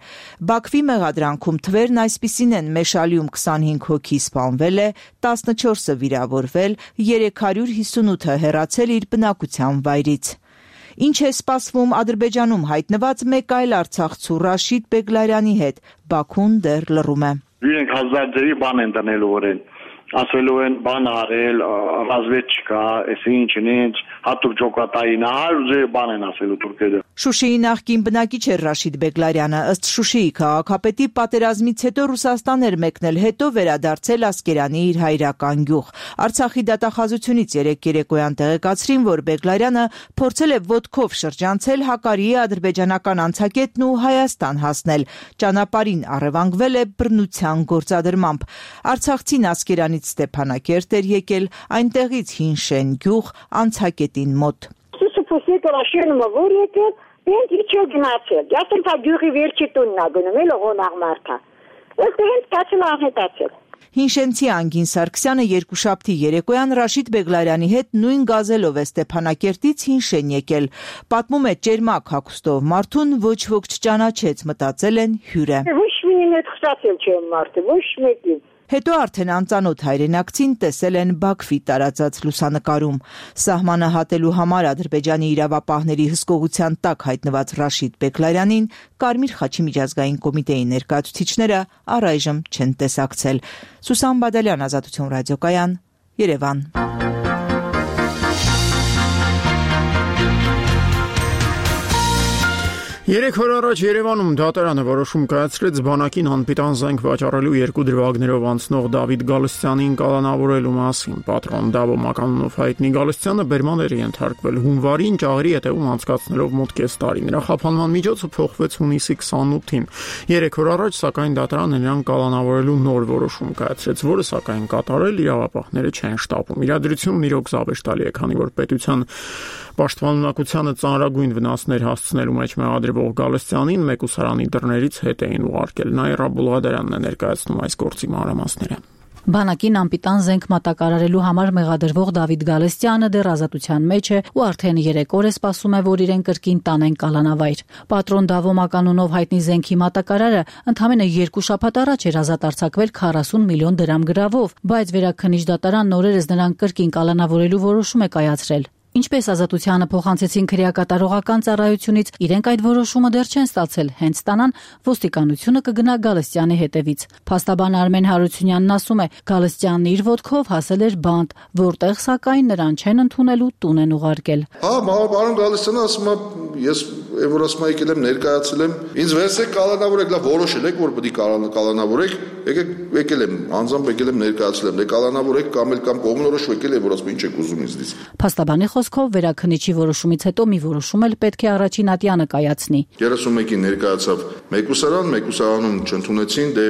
Բաքվի մեղադրանքում թվերն այսպիսին են՝ Մեշալիում 25 հոգի սպանվել է, 14-ը վիրավորվել, 358-ը հեռացել իր բնակության վայրից։ Ինչ է սպասվում Ադրբեջանում հայտնված մեկ այլ արցախցու Ռաշիդ Բեգլարյանի հետ, Բաքուն դեռ լռում է։ Իրենք հազարդերի բան են դնելու օրեն, ասելու են բան արել, ռազմեչկա, այսինչ, հատուկ ջոկատային, հարյուր բան են ասելու թուրքերը։ Շուշիի նախկին բնակիչ էր Ռաշիդ Բեգլարյանը, ըստ Շուշիի քաղաքապետի պատերազմից հետո Ռուսաստան էր մեկնել, հետո վերադարձել Ասկերանի իր հայրական գյուղ։ Արցախի դատախազությունից երեկոյան տեղեկացրին, որ Բեգլարյանը փորձել է ոտքով շրջանցել Հակարիի ադրբեջանական անցակետն ու Հայաստան հասնել։ Ճանապարհին առևանգվել է բռնության գործադրմամբ։ Արցախցին Ասկերանից Ստեփանակերտ էր եկել, այնտեղից Հինշեն գյուղ անցակետին մոտ։ Մենք իջո գնացել, ասել թե գյուղի վերջի տունն է գնում, էլ ողոնաղ մարդա։ Ըստ հենց կացել անհետացել։ Հինշենցի Անգին Սարգսյանը երկուշաբթի երեկոյան Ռաշիդ Բեգլարյանի հետ նույն գազելով է Ստեփանակերտից Հինշեն եկել։ Պատմում է ճերմակ հագուստով մարդուն, ոչ ոք չճանաչեց, մտածել են հյուր է։ Ոչ մինին հետ խստացել չեմ մարդը, ոչ մեկին։ Հետո արդեն անծանոթ հայրենակցին տեսել են Բաքվի տարածած լուսանկարում։ Սահմանը հատելու համար Ադրբեջանի իրավապահների հսկողության տակ հայտնված Ռաշիդ Բեգլարյանին Կարմիր խաչի միջազգային կոմիտեի ներկայացուցիչները առայժմ չեն տեսակցել։ Սուսան Բադալյան, Ազատություն ռադիոկայան, Երևան։ 3 օր առաջ Երևանում դատարանը որոշում կայացրեց բանակին անպիտան զենք վաճառելու 2 դրվագներով անցնող Դավիթ Գալստյանին կալանավորելու մասին։ Պատրոն Դավո Մականունով հայտնի Գալստյանը բերման էր ենթարկվել հունվարին ճաղերի հետևում անցկացնելով մոտ կես տարի։ Նրա խափանման միջոցը փոխվեց հունիսի 28-ին։ 3 օր առաջ սակայն դատարանը նրան կալանավորելու նոր որոշում կայացրեց, որը սակայն կատարել իրավապահները չեն շտապում։ Իրադրությունն իրոք զավեշտալի է, քանի որ պետության պաշտպանունակությանը ծանրագույն վնասներ հասցնելու մեջ մեղադրվող Գալստյանին մեկուսարանի դռներից հետ էին ուղարկել։ Նաիրա Բուլղադարյանն է ներկայացնում այս գործի մանրամասները։ Բանակին անպիտան զենք մատակարարելու համար մեղադրվող Դավիթ Գալստյանը դեռ ազատության մեջ է ու արդեն 3 օր է սպասում է, որ իրեն կրկին տանեն կալանավայր։ Պատրոն Դավոմա կանոնով հայտնի զենքի մատակարարը ընդամենը 2 շաբաթ առաջ էր ազատ արձակվել 40 միլիոն դրամ գրավով, բայց Վերաքննիչ դատարանն օրերս նրան կրկին կալանավորելու որոշում է կայացրել։ Ինչպես ազատությանը փոխանցեցին քրեակատարողական ծառայությունից, իրենք այդ որոշումը դեռ չեն ստացել, հենց ստանան ոստիկանությունը կգնա Գալստյանի հետևից։ Փաստաբան Արմեն Հարությունյանն ասում է, Գալստյանն իր ոտքով հասել էր բանտ, որտեղ սակայն նրան չեն ընդունելու տուն են ուղարկել։ Պարոն Գալստյանը ասում է, ես որ ասում եկել եմ ներկայացել եմ, ինձ վերցրեք կալանավորեք, լավ որոշել եք, որ պետք է կալանավորեք, եկել եմ, անձամբ եկել եմ ներկայացել եմ, կալանավորեք կամ կողմնորոշ եկել է, որ ասում ինչ եք ուզում ինձնից։ Փաստաբանի խոսքով Վերաքննիչի որոշումից հետո մի որոշում էլ պետք է առաջին ատյանը կայացնի։ 31-ին ներկայացավ մեկուսարանում չընդունեցին, դե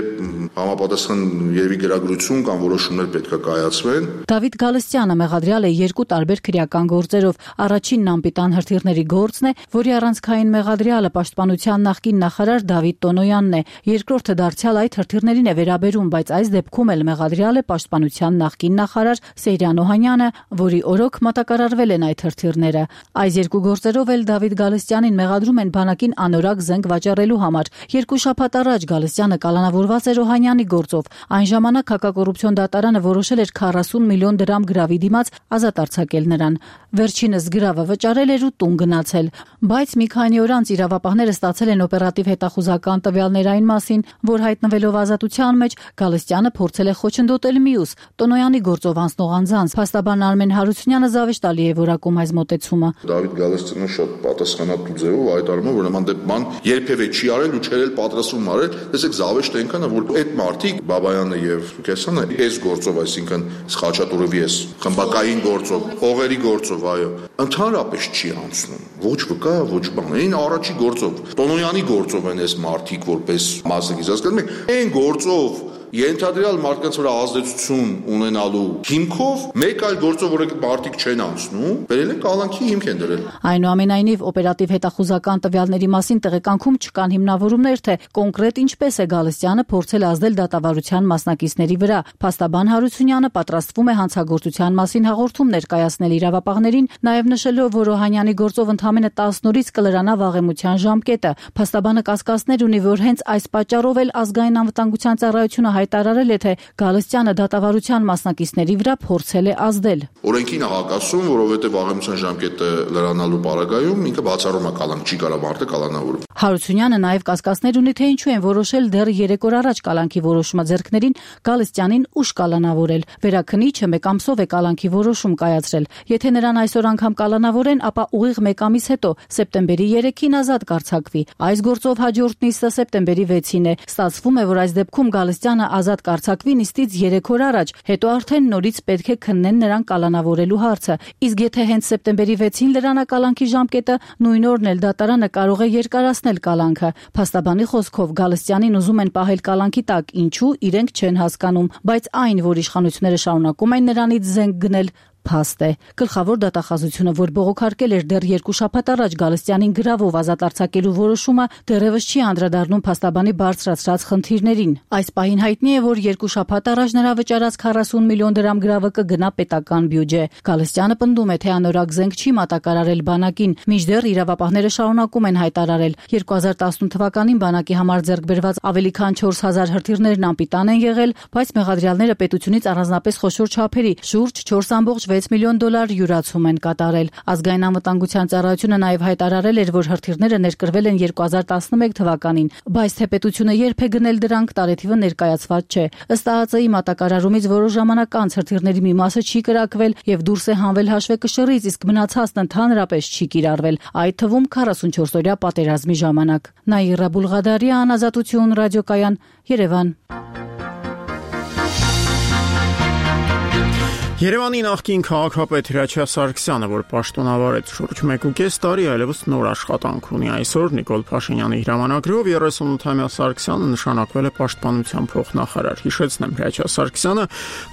համապատասխան երևի գրագրություն կամ որոշումներ պետք է կայացվեն։ Դավիթ Գալստյանը մեղադրյալ է 2 տարբեր քրեական գործերով։ Առաջինն անպիտան հրթիռների գործն է, որի առանցքային մեղադրյալը պաշտպանության նախկին նախարար Դավիթ Տոնոյանն է։ Երկրորդը դարձյալ այդ հրթիռներին է վերաբերում, բայց այս դեպքում էլ մեղադրյալ է պաշտպանության նախկին նախարար Սեյրան Օհանյանը, որի օրոք մատակարարվել են այդ հրթիռները։ Այս 2 գործերով էլ Դավիթ Գալստյանին մեղադրում են բանակին անորակ զենք վաճառելու համար։ 2 շաբաթ առաջ Գալստյանը կալանավորված էր Օհանյանի գործով։ Այն ժամանակ հակակոռուպցիոն դատարանը որոշել էր 40 միլիոն դրամ գրավի դիմաց ազատ արձակել նրան։ Վերջինս գրավը վճարել էր ու տուն գնացել։ Բայց մի քանի օր անց իրավապահները ստացել են օպերատիվ հետախուզական տվյալներ այն մասին, որ հայտնվելով ազատության մեջ Գալստյանը փորձել է խոչընդոտել մյուս Տոնոյանի գործով անցնող անձանց։ Փաստաբան Արմեն Հարությունյանը զավեշտալի է որակում այս մոտեցումը։ Դավիթ Գալստյանը շատ պատասխանատու ձևով հայտարարում է, որ նման դեպքում երբևէ չի արել ու չէր պատրաստվում արել։ Տեսեք, զավեշտ այնքան է, որ այդ մարդիկ Բաբայանը եւ Սուքեսյանը այս գործով, այսինքն Խաչատուրովի էս խմբակային գործով, փողերի գործով, այո, ընդհանրապես չի անցնում։ Ոչ վկա, ոչ բան։ Այն առաջի գործով, Տոնոյանի գործով են այս մարդիկ որպես մասնակից, հասկանում եք, այն գործով ենթադրյալ մարդկանց վրա ազդեցություն ունենալու հիմքով մեկ այլ գործով, որ մարդիկ չեն անցնում, բերել են կալանքի հիմք են դրել։ Այնուամենայնիվ օպերատիվ հետախուզական տվյալների մասին տեղեկանքում չկան հիմնավորումներ, թե կոնկրետ ինչպես է Գալստյանը փորձել ազդել դատավարության մասնակիցների վրա։ Փաստաբան Հարությունյանը պատրաստվում է հանցագործության մասին հաղորդում ներկայացնել իրավապահներին, նաև նշելով, որ Օհանյանի գործով ընդամենը 10 օրից կլրանա վաղեմության ժամկետը։ Փաստաբանը կասկածներ ունի, որ հենց այս պատճառով էլ ազգային անվտանգության ծառայությունը հայտարարել է, թե Գալստյանը դատավարության մասնակիցների վրա փորձել է ազդել։ Օրենքին հակասում, որովհետև վաղեմության ժամկետը լրանալու պարագայում ինքը բացառում է կալանք, չի կարող մարդը կալանավորել։ Հարությունյանը նաև կասկածներ ունի, թե ինչու են որոշել դեռ 3 օր առաջ կալանքի որոշումը ձեռքներին Գալստյանին ուշ կալանավորել։ Վերաքննիչը 1 ամսով է կալանքի որոշում կայացրել։ Եթե նրան այսօր անգամ կալանավորեն, ապա ուղիղ 1 ամիս հետո սեպտեմբերի 3-ին ազատ կարձակվի։ Այս գործով հաջորդ նիստը սեպտեմբերի 6-ին է։ Ստացվում է, որ այս դեպքում Գալստյանը ազատ կարձակվի նիստից 3 օր առաջ, հետո արդեն նորից պետք է քննեն նրան կալանավորելու հարցը։ Իսկ եթե հենց սեպտեմբերի 6-ին լրանա կալանքի ժամկետը, նույն օրն էլ դատարանը կարող է երկարացնել կալանքը։ Փաստաբանի խոսքով Գալստյանին ուզում են պահել կալանքի տակ, ինչու իրենք չեն հասկանում, բայց այն, որ իշխանությունները շարունակում են նրանից զենք գնել, փաստ է։ Գլխավոր դատախազությունը, որ բողոքարկել էր դեռ 2 շաբաթ առաջ Գալստյանին գրավով ազատ արձակելու որոշումը, դեռևս չի անդրադառնում փաստաբանի բարձրացրած խնդիրներին։ Այս պահին հայտնի է, որ 2 շաբաթ առաջ նրա վճարած 40 միլիոն դրամ գրավը կգնա պետական բյուջե։ Գալստյանը պնդում է, թե անորակ զենք չի մատակարարել բանակին, մինչդեռ իրավապահները շարունակում են հայտարարել։ 2018 թվականին բանակի համար ձեռք բերված ավելի քան 4000 հրթիռներն անպիտան են եղել, բայց մեղադրյալները պետությունից առանձնապես խոշոր չափերի շուրջ 4.6 միլիոն դոլար յուրացում են կատարել։ Ազգային անվտանգության ծառայությունը նաև հայտարարել էր, որ հրթիռները ներկրվել են 2011 թվականին, բայց թե պետությունը երբ է գնել դրանք, տարեթիվը ներկայացված չէ։ Ըստ ԱԱԾ-ի մատակարարումից որոշ ժամանակ անց հրթիռների մի մասը չի կրակվել եւ դուրս է հանվել հաշվեկշռից, իսկ մնացածն ընդհանրապես չի կիրառվել, այդ թվում 44-օրյա պատերազմի ժամանակ։ Նաիրա Բուլղադարյան, Ազատություն, ռադիոկայան, Երևան։ Երևանի նախկին քաղաքապետ Հրաչյա Սարգսյանը, որ պաշտոնավարեց շուրջ 1.5 տարի, այլևս նոր աշխատանք ունի։ Այսօր Նիկոլ Փաշինյանի հրամանագրով 38-ամյա Սարգսյանը նշանակվել է պաշտպանության փոխնախարար։ Հիշեցնեմ, Հրաչյա Սարգսյանը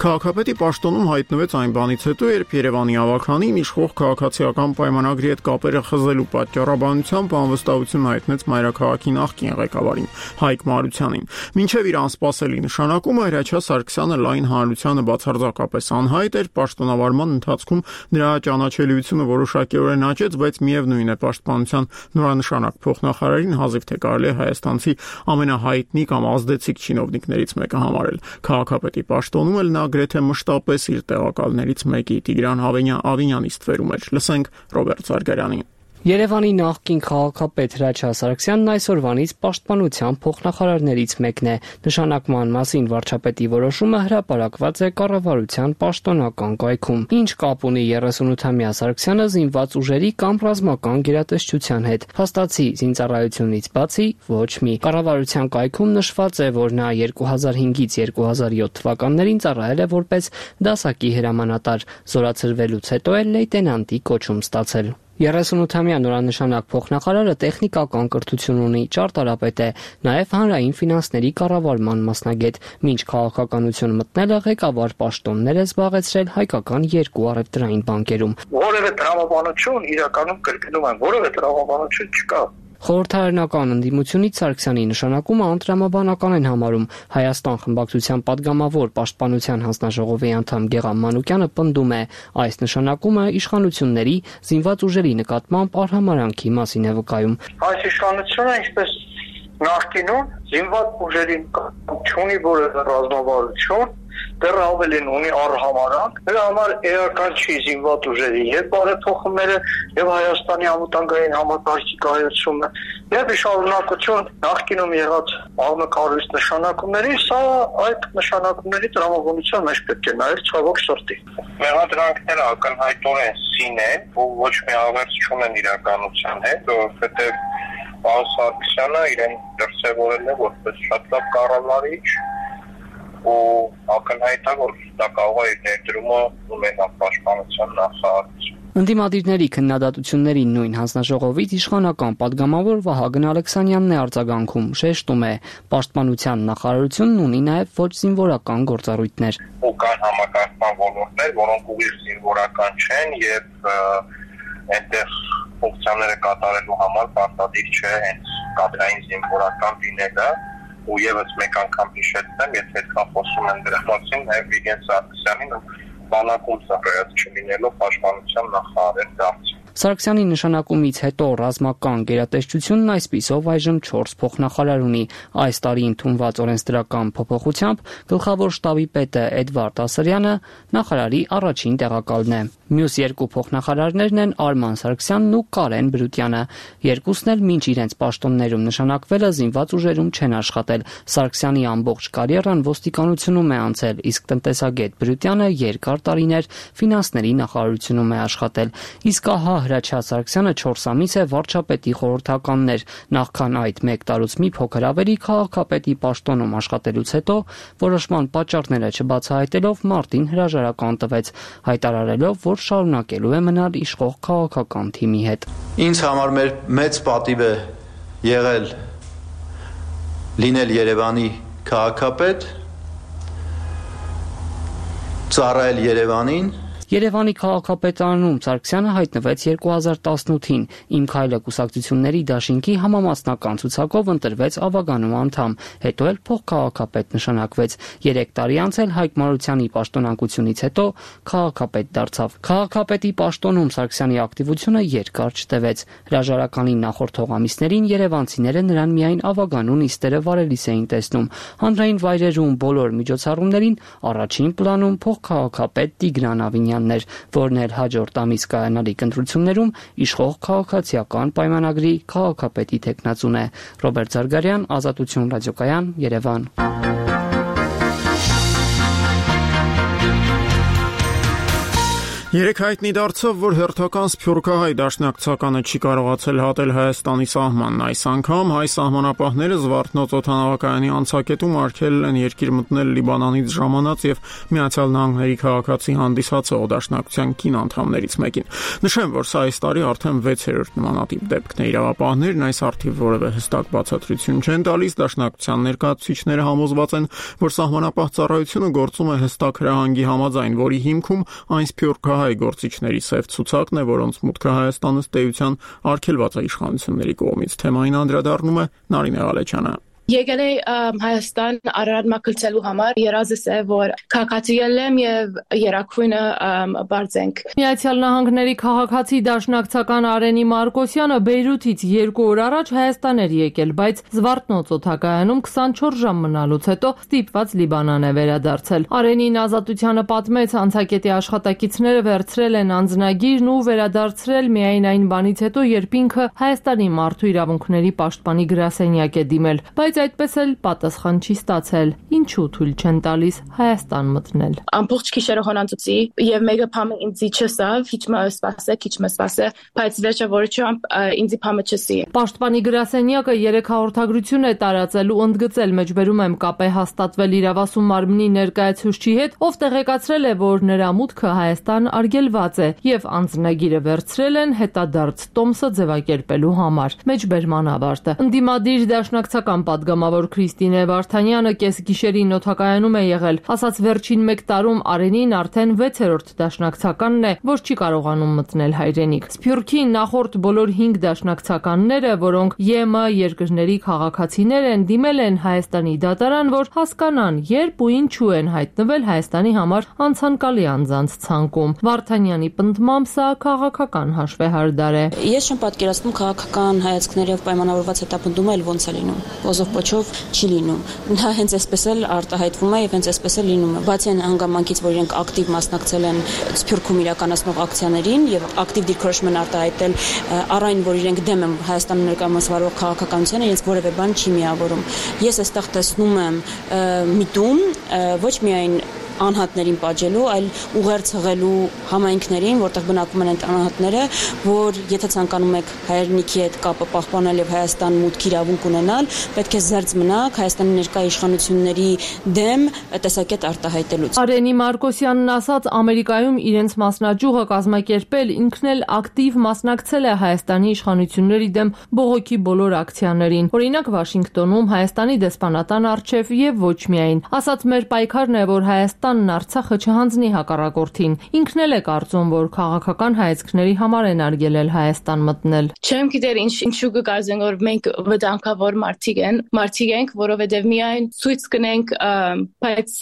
քաղաքապետի պաշտոնում հայտնվեց այն բանից հետո, երբ Երևանի ավականին իշխող քաղաքացիական պայմանագրի հետ կապերը խզելու պատճառաբանությամբ անվստահություն հայտնեց մայրաքաղաքի նախկին ղեկավարին Հայկ Մարությանին։ Մինչև իր անսպասելի նշանակումը Հրաչյա Սարգսյանը լայն հանրությանը բացարձակապես անհայտ էր, պաշտոնավարման ընթացքում նրա ճանաչելիությունը որոշակիորեն աճեց, բայց միևնույն է պաշտպանության նորանշանակ փոխնախարարին հազիվ թե կարելի է հայաստանցի ամենահայտնի կամ ազդեցիկ չինովնիկներից մեկը համարել։ Քաղաքապետի պաշտոնում էլ նա գրեթե մշտապես իր տեղակալներից մեկի Տիգրան Ավինյանի ստվերում էր։ Լսենք Ռոբերտ Զարգարյանին։ Երևանի նախկին քաղաքապետ Հրաչյա Սարգսյանն այսօրվանից պաշտպանության փոխնախարարներից մեկն է։ Նշանակման մասին վարչապետի որոշումը հրապարակված է կառավարության պաշտոնական կայքում։ Ինչ կապ ունի 38-ամյա Սարգսյանը զինված ուժերի կամ ռազմական գերատեսչության հետ։ Փաստացի զինծառայությունից բացի ոչ մի։ Կառավարության կայքում նշված է, որ նա 2005-ից 2007 թվականներին ծառայել է որպես դասակի հրամանատար, զորացրվելուց հետո էլ լեյտենանտի կոչում ստացել։ 38-ամյա նորանշանակ փոխնախարարը տեխնիկական կրթություն ունի, ճարտարապետ է, նաև հանրային ֆինանսների կառավարման մասնագետ։ Մինչ քաղաքականություն մտնելը ղեկավար պաշտոններ է զբաղեցրել հայկական 2 առևտրային բանկերում։ Որևէ տրամաբանություն իրականում կրկնում եմ, որևէ տրամաբանություն չկա։ Խորհրդարանական ընդդիմությունից Սարգսյանի նշանակումը անտրամաբանական են համարում։ Հայաստան խմբակցության падգամավոր պաշտպանության հանձնաժողովի անդամ Գեղամ Մանուկյանը պնդում է, այս նշանակումը իշխանությունների զինված ուժերի նկատմամբ արհամարհանքի մասին է վկայում։ Այս իշխանությունը, ինչպես նախկինում, զինված ուժերի չունի որևէ ռազմավարություն, դեռ ավելին ունի արհամարհանք, դրա համար էական չի զինված ուժերի եւ բարեփոխումները եւ Հայաստանի անվտանգային համակարգի կայացումը եւ շարունակություն նախկինում եղած աղմկարույց նշանակումների, սա այդ նշանակումների տրամաբանության մեջ պետք է նայել ցավոք սրտի։ Մեղադրանքները ակնհայտորեն սին են, ու ոչ մի ավերս չունեն իրականության հետ, որովհետեւ Պարոն Սարգսյանը իրեն դրսևորել է որպես շատ լավ կառավարիչ ու ակնհայտ է, որ դա կարող է իր ներդրումը ունենալ պաշտպանության նախարարություն։ Ընդդիմադիրների քննադատությունների նույն հանձնաժողովից իշխանական падգամավոր Վահագն Ալեքսանյանն է արձագանքում, շեշտում է, պաշտպանության նախարարությունն ունի նաև ոչ զինվորական գործառույթներ։ Ու կան համակարգման ոլորտներ, որոնք ուղիղ զինվորական չեն եւ այնտեղ ֆունկցիաները կատարելու համար պարտադիր չէ հենց կադրային զինվորական լինելը։ Ու եւս մեկ անգամ հիշեցնեմ, եթե այդքան խոսում են դրա մասին, նաև Վիգեն Սարգսյանին բանակում ծառայած չլինելով պաշտպանության նախարար դարձել։ Սարգսյանի նշանակումից հետո ռազմական գերատեսչությունն այսպիսով այժմ 4 փոխնախարար ունի։ Այս տարի ընդունված օրենսդրական փոփոխությամբ գլխավոր շտաբի պետը Էդվարդ Ասրյանը նախարարի առաջին տեղակալն է։ Մյուս 2 փոխնախարարներն են Արման Սարգսյանն ու Կարեն Բրուտյանը։ Երկուսն էլ մինչ իրենց պաշտոններում նշանակվելը զինված ուժերում չեն աշխատել։ Սարգսյանի ամբողջ կարիերան ոստիկանությունում է անցել, իսկ տնտեսագետ Բրուտյանը երկար տարիներ ֆինանսների նախարարությունում է աշխատել։ Իսկ ահա Հրաչյա Սարգսյանը 4 ամիս է վարչապետի խորհրդականն էր։ Նախքան այդ 1 տարուց մի փոքր ավելի քաղաքապետի պաշտոնում աշխատելուց հետո որոշման պատճառները չբացահայտելով մարտին հրաժարական տվեց, հայտարարելով, որ շարունակելու է մնալ իշխող քաղաքական թիմի հետ։ Ինձ համար մեծ պատիվ է եղել լինել Երևանի քաղաքապետ, ծառայել Երևանին։ Երևանի քաղաքապետարանում Սարգսյանը հայտնվեց 2018-ին։ Իմ քայլը կուսակցությունների դաշինքի համամասնական ցուցակով ընտրվեց ավագանու անդամ, հետո էլ փոխքաղաքապետ նշանակվեց։ 3 տարի անց էլ Հայկ Մարությանի պաշտոնակությունից հետո քաղաքապետ դարձավ։ Քաղաքապետի պաշտոնում Սարգսյանի ակտիվությունը երկար չտևեց։ Հրաժարականի նախորդ ամիսներին երևանցիները նրան միայն ավագանու նիստերը վարելիս էին տեսնում։ Հանրային վայրերում բոլոր միջոցառումներին առաջին պլանում փոխքաղաքապետ Տիգրան Ավինյանն էր, որն էլ հաջորդ ամիս կայանալիք ընտրություններում իշխող քաղաքացիական պայմանագրի քաղաքապետի թեկնածուն է։ Ռոբերտ Զարգարյան, Ազատություն ռադիոկայան, Երևան։ Երեք հայտնի դարձավ, որ հերթական սփյուռքահայ դաշնակցականը չի կարողացել հատել Հայաստանի սահմանն։ Այս անգամ հայ սահմանապահները Զվարթնոց օդանավակայանի անցակետում արգելել են երկիր մտնել Լիբանանից ժամանած եւ Միացյալ Նահանգների քաղաքացի հանդիսացող դաշնակցության կին անդամներից մեկին։ Նշեմ, որ սա այս տարի արդեն 6-րդ նմանատիպ դեպքն է։ Իրավապահներն այս առթիվ որևէ հստակ բացատրություն չեն տալիս։ Դաշնակցության ներկայացուցիչները համոզված են, որ սահմանապահ ծառայությունը գործում է հստակ հրահանգի համաձայն, որի հիմքում այն սփյուռքահայ գործիչների սև ցուցակն է, որոնց մուտքը Հայաստան ըստ էության արգելված է իշխանությունների կողմից։ Թեմային անդրադառնում է Նարինե Ղալեչյանը։ Եկել է Հայաստան Արարատ մաքրելու համար, երազս է, որ քաղաքացիել եմ եւ երակույնը բարձենք։ Միացյալ Նահանգների քաղաքացի դաշնակցական Արենի Մարկոսյանը Բեյրութից 2 օր առաջ Հայաստան էր եկել, բայց Զվարթնոց օդակայանում 24 ժամ մնալուց հետո ստիպված Լիբանան է վերադարձել։ Արենին Ազատությանը պատմեց, անցակետի աշխատակիցները վերցրել են անձնագիրն ու վերադարձրել միայն այն բանից հետո, երբ ինքը Հայաստանի մարդու իրավունքների պաշտպանի գրասենյակ է դիմել, բայց այդպես էլ պատասխան չի ստացել։ Ինչու թույլ չեն տալիս Հայաստան մտնել։ Ամբողջ գիշերը հոնանցուցի եւ մեկը փամը ինձի չսավ, քիչ մը սպասե, բայց վերջը որչամբ ինձի փամը չսի։ Պաշտպանի գրասենյակը 3 հաղորդագրություն է տարածել ու ընդգծել, մեջբերում եմ կապ է հաստատվել իրավասու մարմնի ներկայացուցչի հետ, ով տեղեկացրել է, որ նրա մուտքը Հայաստան արգելված է եւ անձնագիրը վերցրել են հետադարձ տոմսը ձևակերպելու համար։ Մեջբերման ավարտը։ Ընդդիմադիր դաշնակցական պատգամավոր Քրիստինե Վարդանյանը կեսգիշերին օդակայանում է եղել, ասաց վերջին 1 տարում Արենին արդեն 6-րդ դաշնակցականն է, որ չի կարողանում մտնել հայրենիք։ Սփյուռքի նախորդ բոլոր 5 դաշնակցականները, որոնք ԵՄ երկրների քաղաքացիներ են, դիմել են Հայաստանի դատարան, որ հասկանան, երբ ու ինչու են հայտնվել Հայաստանի համար անցանկալի անձանց ցանկում։ Վարդանյանի պնդմամբ սա քաղաքական հաշվեհարդար է։ Ես չեմ պատկերացնում քաղաքական հայացքներով պայմանավորված հետապնդումը էլ ոնց է լինում։ Ոչով չի լինում։ Դա հենց այսպես էլ արտահայտվում է եւ հենց այսպես էլ լինում է։ Բացի այն հանգամանքից, որ իրենք ակտիվ մասնակցել են Սփյուռքում իրականացնող ակցիաներին եւ ակտիվ դիրքորոշում են արտահայտել առ այն, որ իրենք դեմ են Հայաստանում ներկայացվող քաղաքականությանը, իրենց որևէ բան չի միավորում։ Ես այստեղ տեսնում եմ միտում ոչ միայն անհատներին պատժելու, այլ ուղերձ հղելու համայնքներին, որտեղ բնակվում են այդ անհատները, որ եթե ցանկանում եք հայրենիքի հետ կապը պահպանել եւ Հայաստան մուտքի իրավունք ունենալ, պետք է զերծ մնաք Հայաստանի ներկայ իշխանությունների դեմ տեսակետ արտահայտելուց։ Արենի Մարկոսյանն ասաց, Ամերիկայում իրենց մասնաճյուղը կազմակերպել, ինքն էլ ակտիվ մասնակցել է Հայաստանի իշխանությունների դեմ բողոքի բոլոր ակցիաներին։ Օրինակ Վաշինգտոնում Հայաստանի դեսպանատան առջև եւ ոչ միայն։ Ասաց, մեր պայքարն է, որ Հայաստանն Արցախը չհանձնի հակառակորդին։ Ինքն էլ է կարծում, որ քաղաքական հայացքների համար են արգելել Հայաստան մտնել։ Չեմ գիտեր ինչու կգազեն, որ մենք վտանգավոր մարդիկ ենք, որովհետև միայն ցույց կնենք, բայց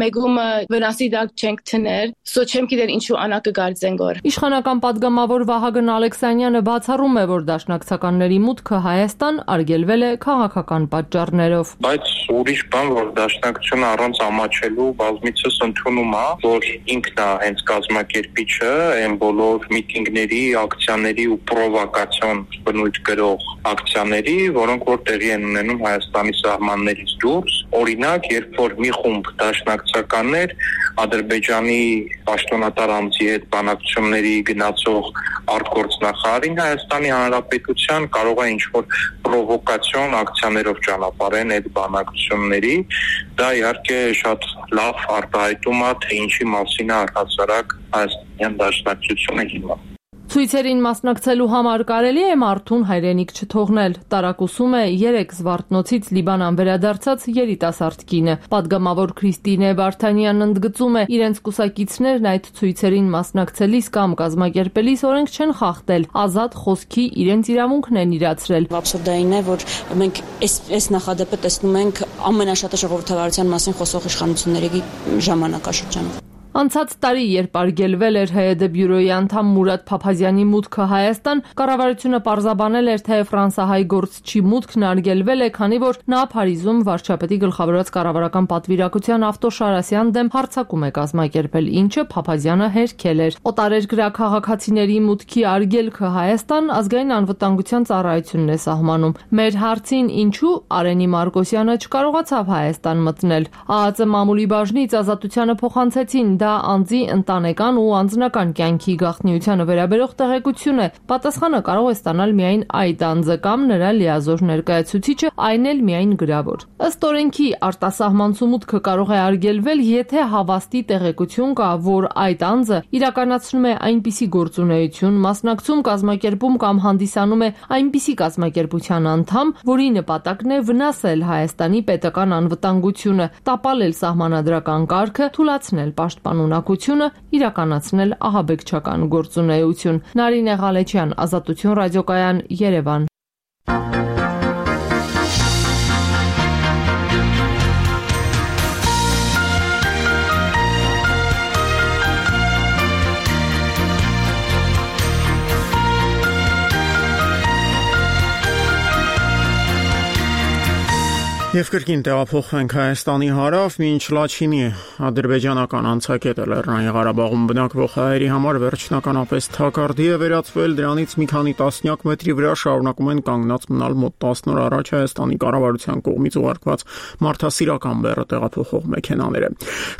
մեգումը վնասի դակ չենք թներ, սո չեմ գիտեր ինչու անա կգարձեն գոր։ Իշխանական պատգամավոր Վահագն Ալեքսանյանը բացառում է, որ դաշնակցականների մուտքը Հայաստան արգելվել է քաղաքական պատճառներով։ Բայց ուրիշ բան, որ դաշնակցությունը առանց ամաչելու բազմիցս ընդունում է, որ ինքն է հենց կազմակերպիչը այն բոլոր միտինգների, ակցիաների ու պրովոկացիոն բնույթ կրող ակցիաների, որոնք որ տեղի են ունենում Հայաստանի սահմաններից դուրս։ Օրինակ, երբ որ մի խումբ դաշնակցականներ Ադրբեջանի պաշտոնատար ամծի հետ բանակցությունների գնացող արտգործնախարարին Հայաստանի Հանրապետության կարող է ինչ-որ պրովոկացիոն ակցիաներով ճանապարհեն այդ բանակցությունների, դա իհարկե շատ լավ արտահայտում է, թե ինչի մասին է առհասարակ Հայաստանյան դաշնակցությունը հիմա։ Ցույցերին մասնակցելու համար կարելի է մարդուն հայրենիք չթողնել։ Տարակուսում է 3 Զվարթնոցից Լիբանան վերադարձած երիտասարդ կինը։ Պատգամավոր Քրիստինե Վարդանյանն ընդգծում է, իրենց կուսակիցներն այդ ցույցերին մասնակցելիս կամ կազմակերպելիս օրենք չեն խախտել, ազատ խոսքի իրենց իրավունքն են իրացրել։ Աբսուրդային է, որ մենք այս նախադեպը տեսնում ենք ամենաշատը ժողովրդավարության մասին խոսող իշխանությունների ժամանակաշրջանում։ Անցած տարի, երբ արգելվել էր ՀԵԴ բյուրոյի անդամ Մուրադ Փափազյանի մուտքը Հայաստան, կառավարությունը պարզաբանել էր, թե ֆրանսահայ գործչի մուտքն արգելվել է, քանի որ նա Փարիզում վարչապետի գլխավորած կառավարական պատվիրակության Ավտոշարասյան դեմ հարձակում է կազմակերպել, ինչը Փափազյանը հերքել էր։ Օտարերկրյա քաղաքացիների մուտքի արգելքը Հայաստան ազգային անվտանգության ծառայությունն է սահմանում։ Մեր հարցին ինչու Արենի Մարկոսյանը չկարողացավ Հայաստան մտնել, ԱԱԾ մամուլի բաժնից Ազատությանը փոխանցեցին, դա անձի ընտանեկան ու անձնական կյանքի գաղտնիությանը վերաբերող տեղեկություն է, պատասխանը կարող է ստանալ միայն այդ անձը կամ նրա լիազոր ներկայացուցիչը, այն էլ միայն գրավոր։ Ըստ օրենքի արտասահմանցու մուտքը կարող է արգելվել, եթե հավաստի տեղեկություն կա, որ այդ անձը իրականացնում է այնպիսի գործունեություն, մասնակցում, կազմակերպում կամ հանդիսանում է այնպիսի կազմակերպության անդամ, որի նպատակն է վնասել Հայաստանի պետական անվտանգությունը, տապալել սահմանադրական կարգը, թուլացնել պաշտպանունակությունը, իրականացնել ահաբեկչական գործունեություն։ Նարինե Ղալեչյան, Ազատություն ռադիոկայան, Երևան։ Եվ կրկին տեղափոխվենք Հայաստանի հարավ, մինչ Լաչինի ադրբեջանական անցակետը Լեռնային Ղարաբաղում բնակվող հայերի համար վերջնականապես թակարդի է վերածվել, դրանից մի քանի տասնյակ մետրի վրա շարունակում են կանգնած մնալ մոտ 10 օր առաջ Հայաստանի կառավարության կողմից ուղարկված մարդասիրական բեռը տեղափոխող մեքենաները։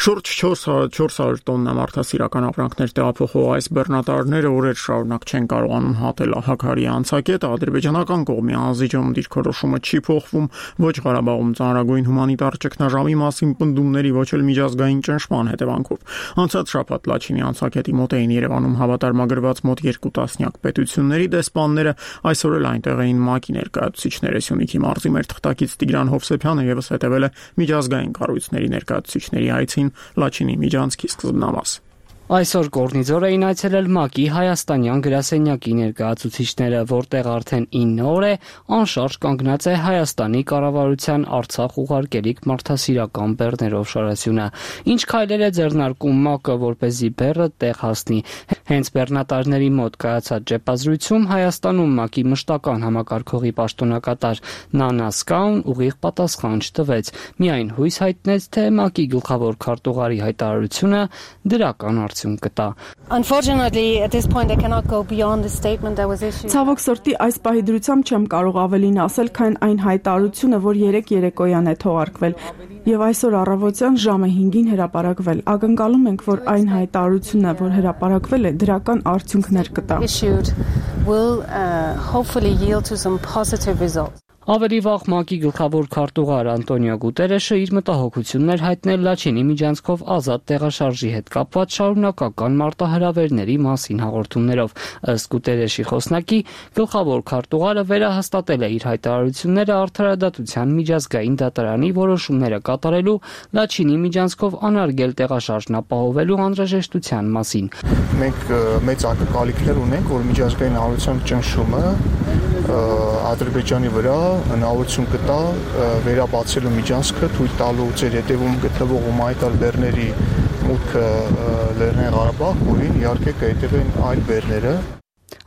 Շուրջ 400 տոննա մարդասիրական ապրանքներ տեղափոխող այս բեռնատարները օրեր շարունակ չեն կարողանում հատել Հաքարի անցակետը, ադրբեջանական կողմի անզիջում դիրքորոշումը չի փոխվում, ոչ Ղարաբաղ ծանրագույն հումանիտար ճգնաժամի մասին պնդումների, ոչ էլ միջազգային ճնշման հետևանքով։ Անցած շաբաթ Լաչինի անցակետի մոտ էին Երևանում հավատարմագրված մոտ 2 տասնյակ պետությունների դեսպանները, այսօր էլ այնտեղ էին ՄԱԿ-ի ներկայացուցիչները։ Սյունիքի մարզի մեր թղթակից Տիգրան Հովսեփյանը եւս հետևել է միջազգային կառույցների ներկայացուցիչների այցին Լաչինի միջանցքի սկզբնամաս։ Այսօր Կորնիձոր էին այցելել ՄԱԿ-ի հայաստանյան գրասենյակի ներկայացուցիչները, որտեղ արդեն 9 օր է անշարժ կանգնած է Հայաստանի կառավարության Արցախ ուղարկելիք մարդասիրական բեռներով շարասյունը։ Ինչ քայլեր է ձեռնարկում ՄԱԿ-ը, որպեսզի բեռը տեղ հասնի։ Հենց բեռնատարների մոտ կայացած ճեպազրույցում Հայաստանում ՄԱԿ-ի մշտական համակարգողի պաշտոնակատար Նանա Սկաուն ուղիղ պատասխան չտվեց, միայն հույս հայտնեց, թե ՄԱԿ-ի գլխավոր քարտուղարի հայտարարությունը դրական արդյունք կտա։ Ցավոք սրտի այս պահի դրությամբ չեմ կարող ավելին ասել, քան այն հայտարարությունը, որ երեկոյան է թողարկվել եւ այսօր առավոտյան ժամը 5-ին հրապարակվել։ Ակնկալում ենք, որ այն հայտարարությունը, որ հրապարակվել է, դրական արդյունքներ կտա։ Ավելի վաղ ՄԱԿ-ի գլխավոր քարտուղար Անտոնիո Գուտերեշը իր մտահոգություններ հայտնել Լաչինի միջանցքով ազատ տեղաշարժի հետ կապված շարունակական մարտահրավերների մասին հաղորդումներով։ Ըստ Գուտերեշի խոսնակի, գլխավոր քարտուղարը վերահաստատել է իր հայտարարությունները Արդարադատության միջազգային դատարանի որոշումները կատարելու Լաչինի միջանցքով անարգել տեղաշարժն ապահովելու անհրաժեշտության մասին։ Մենք մեծ ակնկալիքներ ունենք, որ միջազգային հանրության ճնշումը Ադրբեջանի վրա հնարավորություն կտա վերաբացելու միջանցքը, թույլ տալու ձեր հետևում գտնվող հումանիտար բեռների մուտքը Լեռնային Ղարաբաղ, որին իհարկե կհետևեն այլ բեռները։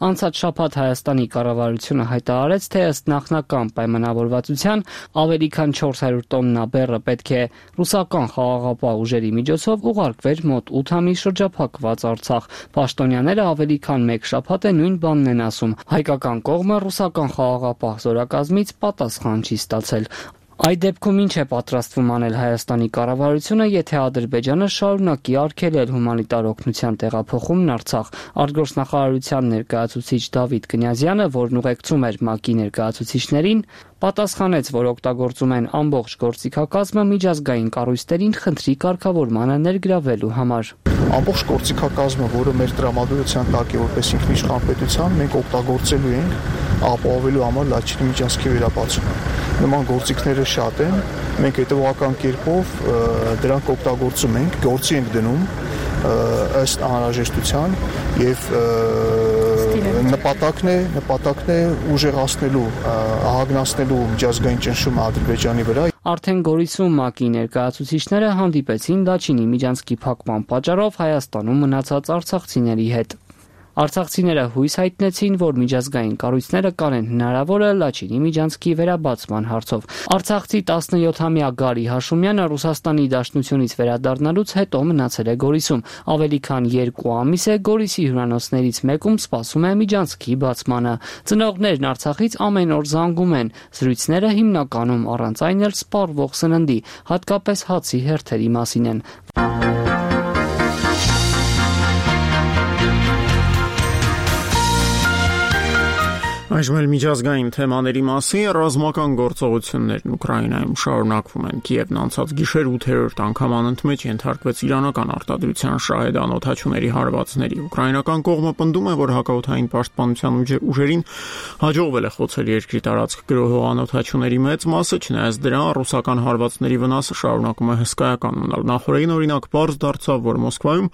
Անցած շաբաթ Հայաստանի կառավարությունը հայտարարեց, թե ըստ նախնական պայմանավորվածության ավելի քան 400 տոննա բեռը պետք է ռուսական խաղաղապահ ուժերի միջոցով ուղարկվեր մոտ 8 ամիս շրջափակված Արցախ։ Պաշտոնյաները ավելի քան 1 շաբաթ է նույն բանն են ասում։ Հայկական կողմը ռուսական խաղաղապահ զորակազմից պատասխան չի ստացել։ Այդ դեպքում ինչ է պատրաստվում անել Հայաստանի կառավարությունը, եթե Ադրբեջանը շարունակի արգելել հումանիտար օգնության տեղափոխումն Արցախ։ Արտգործնախարարության ներկայացուցիչ Դավիթ Կնյազյանը, որն ուղեկցում էր ՄԱԿ-ի ներկայացուցիչներին, պատասխանեց, որ օգտագործում են ամբողջ գործիքակազմը միջազգային կառույցներին խնդրի կարգավորմանը ներգրավելու համար։ Ամբողջ գործիքակազմը, որը մեր տրամադրության տակ է որպես ինքնիշխան պետության, մենք օգտագործելու ենք ապահովելու համար Լաչինի միջանցքի վերաբացումը։ Նման գործիքները շատ են, մենք հետևողական կերպով դրանք օգտագործում ենք, գործի ենք դնում ըստ անհրաժեշտության եւ նպատակն է ուժեղացնելու, ահագնացնելու միջազգային ճնշումը Ադրբեջանի վրա։ Արդեն Գորիսում ՄԱԿ-ի ներկայացուցիչները հանդիպեցին Լաչինի միջանցքի փակման պատճառով Հայաստանում մնացած արցախցիների հետ։ Արցախցիները հույս հայտնեցին, որ միջազգային կառույցները կանեն հնարավորը Լաչինի միջանցքի վերաբացման հարցով։ Արցախցի 17-ամյա Գարի Հաշումյանը Ռուսաստանի Դաշնությունից վերադառնալուց հետո մնացել է Գորիսում։ Ավելի քան 2 ամիս է Գորիսի հյուրանոցներից մեկում սպասում է միջանցքի բացմանը։ Ծնողներն Արցախից ամեն օր զանգում են։ Զրույցները հիմնականում առանց այն էլ սպառվող սննդի, հատկապես հացի հերթերի մասին են։ Այժմ էլ միջազգային թեմաների մասին ռազմական գործողություններն Ուկրաինայում շարունակվում են։ Կիևն անցած գիշեր 8-րդ անգամ անընդմեջ ենթարկվեց իրանական արտադրության շահեդ անօդաչուների հարվածների։ Ուկրաինական կողմը պնդում է, որ հակաօդային պաշտպանության ուժերին հաջողվել է խոցել երկրի տարածք գրոհող անօդաչուների մեծ մասը, չնայած դրան ռուսական հարվածների վնասը շարունակում է հսկայական մնալ։ Նախորդին օրինակ պարզ դարձավ, որ Մոսկվայում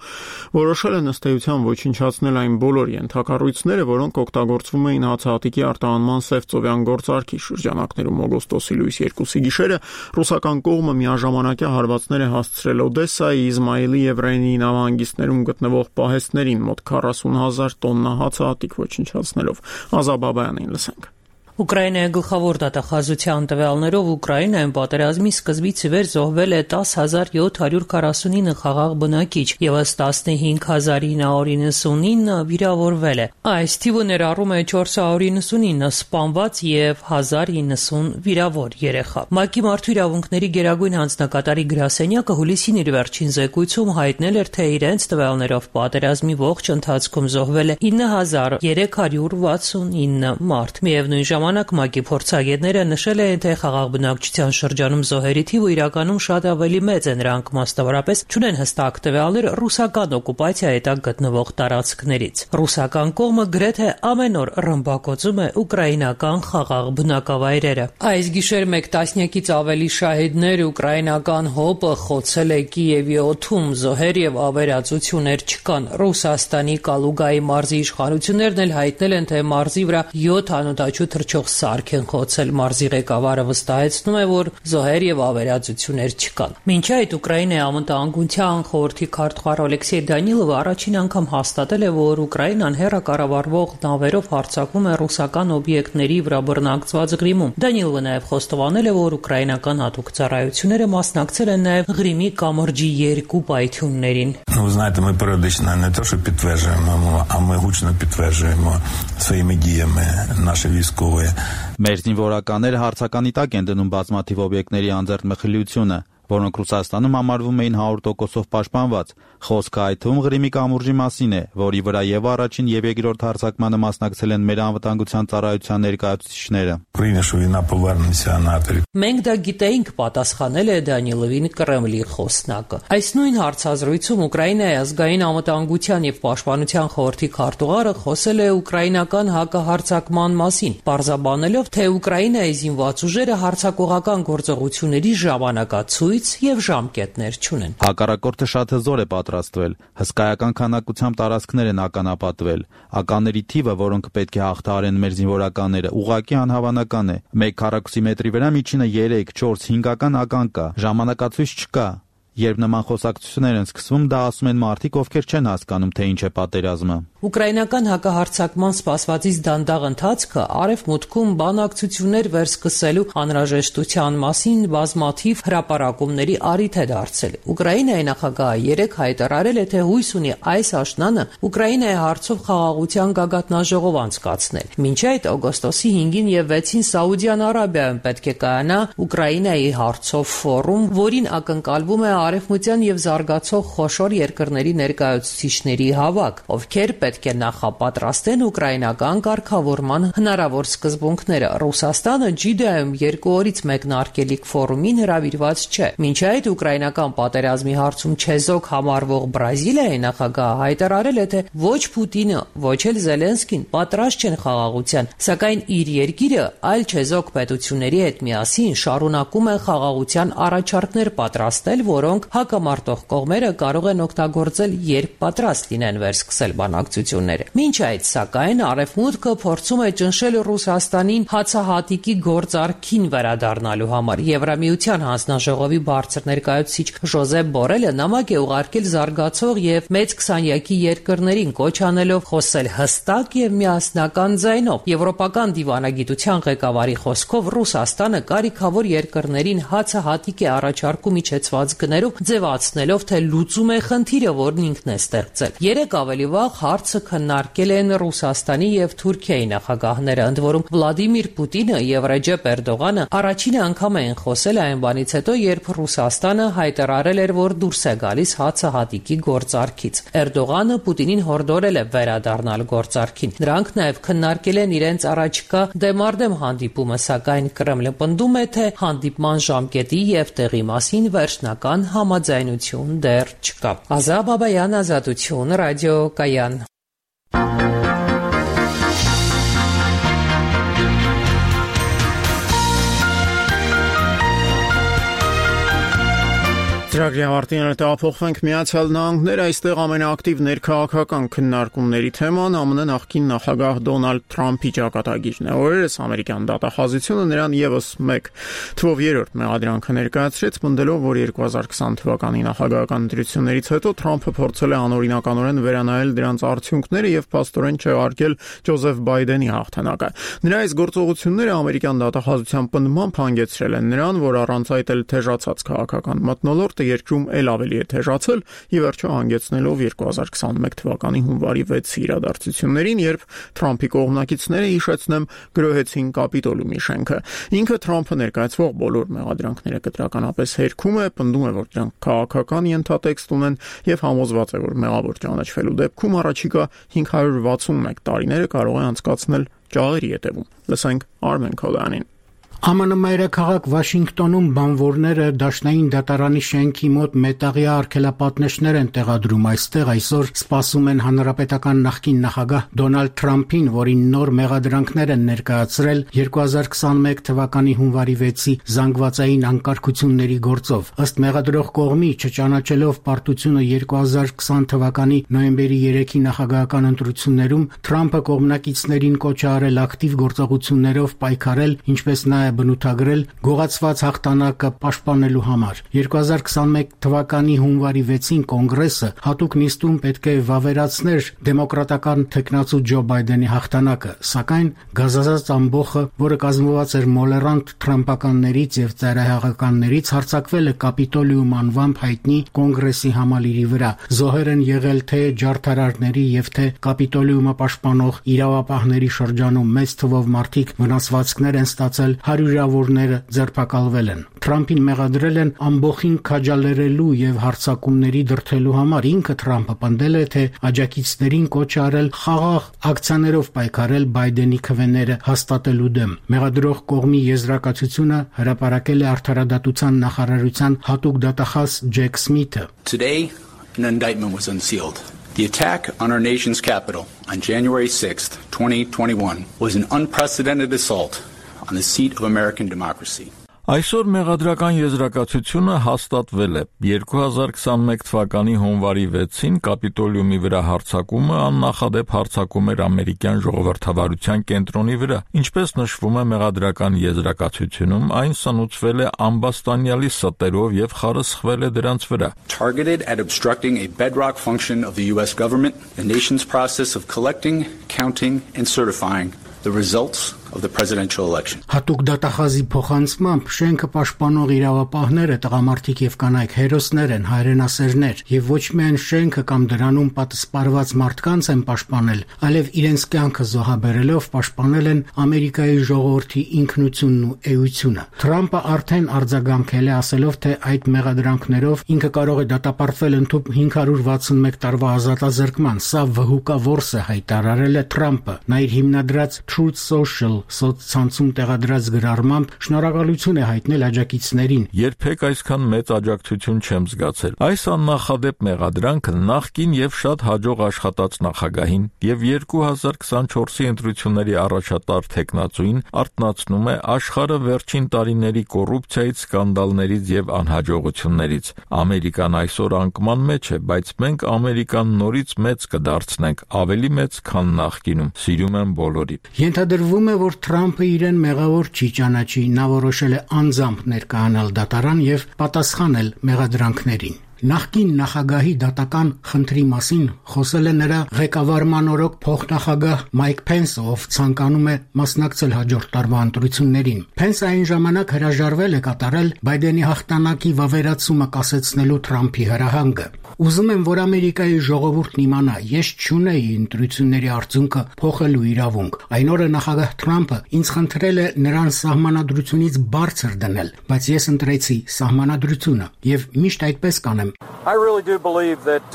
որոշել են ըստ էության ոչնչացնել այն բոլոր ենթակառույցները, որոնք օգտագործվում էին հացահատիկի արտահանման Սևծովյան գործարքի շրջանակներում օգոստոսի լույս 2-ի գիշերը ռուսական կողմը միաժամանակյա հարվածներ է հասցրել Օդեսայի, Իզմայիլի եւ Ռենի նավահանգիստներում գտնվող պահեստներին մոտ 40,000 տոննա հացահատիկ ոչնչացնելով։ Ազատ Բաբայանին լսենք։ Ուկրաինայի գլխավոր դատախազության տվյալներով Ուկրաինայում պատերազմի սկզբից ի վեր զոհվել է 10,749 խաղաղ բնակիչ եւ ըստ 15,999 վիրավորվել է։ Այս թիվը ներառում է 499 սպանված եւ 1090 վիրավոր երեխա։ ՄԱԿ-ի մարդու իրավունքների գերագույն հանձնակատարի գրասենյակը հուլիսին իր վերջին զեկույցում հայտնել էր, թե իրենց տվյալներով պատերազմի ողջ ընթացքում զոհվել է 9369 մարդ։ Միևնույն ժամանակ ՄԱԿ-ի փորձագետները նշել են, թե խաղաղ բնակչության շրջանում զոհերի թիվը իրականում շատ ավելի մեծ է, նրանք մասնավորապես չունեն հստակ տվյալներ ռուսական օկուպացիայի տակ գտնվող տարածքներից։ Ռուսական կողմը գրեթե ամեն օր ռմբակոծում է ուկրաինական խաղաղ բնակավայրերը։ Այս գիշեր 1 տասնյակից ավելի շահիդներ ուկրաինական ՀՕՊ-ը խոցել է Կիևի օդում, զոհեր եւ ավերածություններ չկան։ Ռուսաստանի Կալուգայի մարզի իշխանություններն էլ հայտնել են, թե մարզի վրա 7 անօդաչու թռչող սարք են խոցել։ Մարզի ղեկավարը վստահեցնում է, որ զոհեր եւ ավերածություններ չկան։ Մինչ այդ Ուկրաինայի անվտանգության խորհրդի քարտուղար Ալեքսեյ Դանիլովը առաջին անգամ հաստատել է, որ Ուկրաինան հեռակառավարվող նավերով հարձակվում է ռուսական օբյեկտների վրա բռնակցված Ղրիմում։ Դանիլովը նաեւ խոստովանել է, որ ուկրաինական հատուկ ծառայությունները մասնակցել են նաեւ Ղրիմի կամրջի 2 պայթյուններին։ Ви знаєте, ми періодично не те, що підтверджуємо, а ми гучно підтверджуємо своїми діями наші військові. Մեր զինվորականները հարցականի տակ են դնում բազմաթիվ օբյեկտների անձեռ մխիլությունը, որոնք Ռուսաստանում համարվում էին 100%-ով պաշտպանված։ Խոսքը այդ թվում Ղրիմի կամուրջի մասին է, որի վրա եւ առաջին եւ երկրորդ հարձակմանը մասնակցել են մեր անվտանգության ծառայության ներկայացուցիչները։ Մենք դա գիտեինք, պատասխանել է Դանիլովին Կրեմլի խոսնակը։ Այս նույն հարցազրույցում Ուկրաինայի ազգային անվտանգության եւ պաշտպանության խորհրդի քարտուղարը խոսել է ուկրաինական հակահարձակման մասին, պարզաբանելով, թե Ուկրաինայի զինված ուժերը հարձակողական գործողությունների ժամանակացույց եւ ժամկետներ չունեն։ Հակառակորդը շատ հզոր է պատրաստվել, հսկայական քանակությամբ տարածքներ են ականապատվել։ Ականների թիվը, որոնք պետք է հաղթահարեն մեր զինվորականները, ուղղակի անհավանական է։ 1 քառակուսի մետրի վրա միջինը 3-4 5-ական ական կա։ Ժամանակացույց չկա։ Երբ նման խոսակցություններ են սկսվում, դա ասում են մարդիկ, ովքեր չեն հասկանում, թե ինչ է պատերազմը։ Ուկրաինական հակահարձակման սպասվածից դանդաղ ընթացքը արևմուտքում բանակցություններ վերսկսելու անհրաժեշտության մասին բազմաթիվ հրապարակումների առիթ է դարձել։ Ուկրաինայի նախագահը 3 հայտարարել է, թե հույս ունի այս աշնանը Ուկրաինայի հարցով խաղաղության գագաթնաժողով անցկացնել։ Մինչ այդ օգոստոսի 5-ին եւ 6-ին Սաուդյան Արաբիայում պետք է կայանա Ուկրաինայի հարցով ֆորում, որին ակնկալվում է արևմտյան եւ զարգացող խոշոր երկրների ներկայացուցիչների հավաք, ովքեր պետք է նախապատրաստեն ուկրաինական կարգավորման հնարավոր սկզբունքները։ Ռուսաստանը Ջիդայում 2 օրից մեկնարկելիք ֆորումին հրավիրված չէ։ Մինչ այդ ուկրաինական պատերազմի հարցում չեզոք համարվող Բրազիլիայի նախագահը հայտարարել է, թե ոչ Պուտինը, ոչ էլ Զելենսկին պատրաստ չեն խաղաղության, սակայն իր երկիրը այլ չեզոք պետությունների հետ միասին շարունակում է խաղաղության առաջարկներ պատրաստել, որոնք հակամարտող կողմերը կարող են օգտագործել, երբ պատրաստ լինեն վերսկսել բանակցությունները։ Մինչ այդ, սակայն, Արևմուտքը փորձում է ճնշել Ռուսաստանին հացահատիկի գործարքին վերադառնալու համար։ Եվրամիության հանձնաժողովի բարձր ներկայացուցիչ Ժոզեփ Բորելը նամակ է ուղարկել զարգացող եւ մեծ 20-յակի երկրներին, կոչ անելով խոսել հստակ եւ միասնական ձայնով։ Եվրոպական դիվանագիտության ղեկավարի խոսքով Ռուսաստանը կարիքավոր երկրներին հացահատիկ է առաջարկում իջեցված գներով, ձևացնելով, թե լուծում է խնդիրը, որն ինքն է ստեղծել։ 3 ավելի վաղ հարցը կապը քննարկել են Ռուսաստանի եւ Թուրքիայի նախագահները, ընդ որում Վլադիմիր Պուտինը եւ Ռեջեփ Էրդողանը առաջին անգամ են խոսել այն բանից հետո, երբ Ռուսաստանը հայտարարել էր, որ դուրս է գալիս հացահատիկի գործարքից։ Էրդողանը Պուտինին հորդորել է վերադառնալ գործարքին։ Նրանք նաեւ քննարկել են իրենց առաջիկա դեմարդեմ հանդիպումը, սակայն Կրեմլը պնդում է, թե հանդիպման ժամկետի եւ տեղի մասին վերջնական համաձայնություն դեռ չկա։ Ազա Բաբայան, Ազատություն, Ռադիո Կայան։ Ծրագրի ավարտին տեղափոխվենք Միացյալ Նահանգներ, այստեղ ամենաակտիվ ներքաղաքական քննարկումների թեման ԱՄՆ նախկին նախագահ Դոնալդ Թրամփի ճակատագիրն է։ Օրերս ամերիկյան դատախազությունը նրան եւս մեկ թվով երրորդ մեղադրանքը ներկայացրեց, պնդելով, որ 2020 թվականի նախագահական ընտրություններից հետո Թրամփը փորձել է անօրինականորեն վերանայել դրանց արդյունքները եւ փաստորեն չեղարկել Ջոզեֆ Բայդենի հաղթանակը։ Նրա այս գործողությունները ամերիկյան դատախազության պնդմամբ հանգեցրել են նրան, որ առանց այդ էլ թեժացած քաղաքական մթնոլորտը երկրում էլ ավելի է թեժացել ի վերջո հանգեցնելով 2021 թվականի հունվարի 6-ի իրադարձություններին, երբ Թրամփի կողմնակիցները, հիշեցնեմ, գրոհեցին Կապիտոլիումի շենքը։ Ինքը Թրամփը ներկայացվող բոլոր մեղադրանքները կտրականապես հերքում է, պնդում է, որ դրանք քաղաքական ենթատեքստ ունեն եւ համոզված է, որ մեղավոր ճանաչվելու դեպքում առաջիկա 561 տարիները կարող է անցկացնել ջահերի ետևում։ Լսենք Արմեն Քոլյանին։ ԱՄՆ մայրաքաղաք Վաշինգտոնում բանվորները դաշնային դատարանի շենքի մոտ մետաղյա արգելապատնեշներ են տեղադրում։ Այստեղ այսօր սպասում են հանրապետական նախկին նախագահ Դոնալդ Թրամփին, որին նոր մեղադրանքներ են ներկայացրել 2021 թվականի հունվարի 6-ի զանգվածային անկարգությունների գործով։ Ըստ մեղադրող կողմի, չճանաչելով պարտությունը 2020 թվականի նոյեմբերի 3-ի նախագահական ընտրություններում, Թրամփը կողմնակիցներին կոչ է արել ակտիվ գործողություններով պայքարել, ինչպես նաև բնութագրել գողացված հաղթանակը պաշտպանելու համար։ 2021 թվականի հունվարի 6-ին կոնգրեսը հատուկ նիստում պետք է վավերացներ դեմոկրատական թեկնածու Ջո Բայդենի հաղթանակը, սակայն գազազած ամբոխը, որը կազմված էր մոլերանտ թրամփականներից եւ ծայրահեղականներից, հարձակվել է Կապիտոլիում անվամբ հայտնի կոնգրեսի համալիրի վրա։ Զոհեր են եղել թե ջարդարարների եւ թե Կապիտոլիումը պաշտպանող իրավապահների շրջանում մեծ թվով մարդիկ վնասվածքներ են ստացել, հարյուրավորները ձերբակալվել են։ Թրամփին մեղադրել են ամբոխին քաջալերելու եւ հարձակումների դրդելու համար։ Ինքը Թրամփը պնդել է, թե աջակիցներին կոչ արել խաղաղ ակցիաներով պայքարել Բայդենի քվեները հաստատելու դեմ։ Մեղադրող կողմի եզրակացությունը հրապարակել է Արդարադատության նախարարության հատուկ դատախազ Ջեք Սմիթը։ Today, an indictment was unsealed. The attack on our nation's capital on January 6th, 2021 was an unprecedented assault on the seat of American democracy. Այսօր մեղադրական եզրակացությունը հաստատվել է։ 2021 թվականի հունվարի 6-ին Կապիտոլիումի վրա հարձակումը աննախադեպ հարձակում էր ամերիկյան ժողովրդավարության կենտրոնի վրա։ Ինչպես նշվում է մեղադրական եզրակացությունում, այն սնուցվել է ամբաստանյալի ստերով եւ խարսխվել է դրանց վրա։ Targeted at obstructing a bedrock function of the US government, the nation's process of collecting, counting and certifying the results of the presidential election. Հատուկ դատախազի փոխանցմամբ շենքը պաշտպանող իրավապահները տղամարդիկ եւ կանայք հերոսներ են, հայրենասերներ, եւ ոչ միայն շենքը կամ դրանում պատասպարված մարդկանց են պաշտպանել, այլև իրենց կյանքը զոհաբերելով պաշտպանել են Ամերիկայի ժողովրդի ինքնությունն ու էությունը։ Թրամփը արդեն արձագանքել է, ասելով, թե այդ մեղադրանքներով ինքը կարող է դատապարտվել ընդհուպ 561 տարվա ազատազրկման։ Սա վհուկա որս է, հայտարարել է Թրամփը։ Նա իր հիմնադրած Truth Social սոցցանցում տեղադրած գրառմամբ շնորհակալություն է հայտնել աջակիցներին։ Երբեք այսքան մեծ աջակցություն չեմ զգացել։ Այս աննախադեպ մեղադրանքը նախկին եւ շատ հաջող աշխատած նախագահին եւ 2024-ի ընտրությունների առաջատար թեկնածուին արտնացնում է աշխարհը վերջին տարիների կոռուպցիայից, սկանդալներից եւ անհաջողություններից։ Ամերիկան այսօր անկման մեջ է, բայց մենք Ամերիկան նորից մեծ կդարձնենք, ավելի մեծ, քան նախկինում։ Սիրում եմ բոլորին։ Ենթադրվում է, որ Թրամփը իրեն մեղավոր չի ճանաչի, նա որոշել է անձամբ ներկայանալ դատարան եւ պատասխանել մեղադրանքներին։ Նախկին նախագահի դատական խնդրի մասին խոսել է նրա ղեկավարման օրոք փոխնախագահ Մայք Փենսը, ով ցանկանում է մասնակցել հաջորդ տարվա ընտրություններին։ Փենսը այն ժամանակ հրաժարվել է կատարել Բայդենի հաղթանակի վավերացումը կասեցնելու Թրամփի հրահանգը։ Ուզում եմ, որ Ամերիկայի ժողովուրդն իմանա, ես չունեի ընտրությունների արդյունքը փոխելու իրավունք։ Այն օրը նախագահ Թրամփը ինձ խնդրել է նրան սահմանադրությունից բարձր դնել, բայց ես ընտրեցի սահմանադրությունը եւ միշտ այդպես կանեմ։ I really do believe that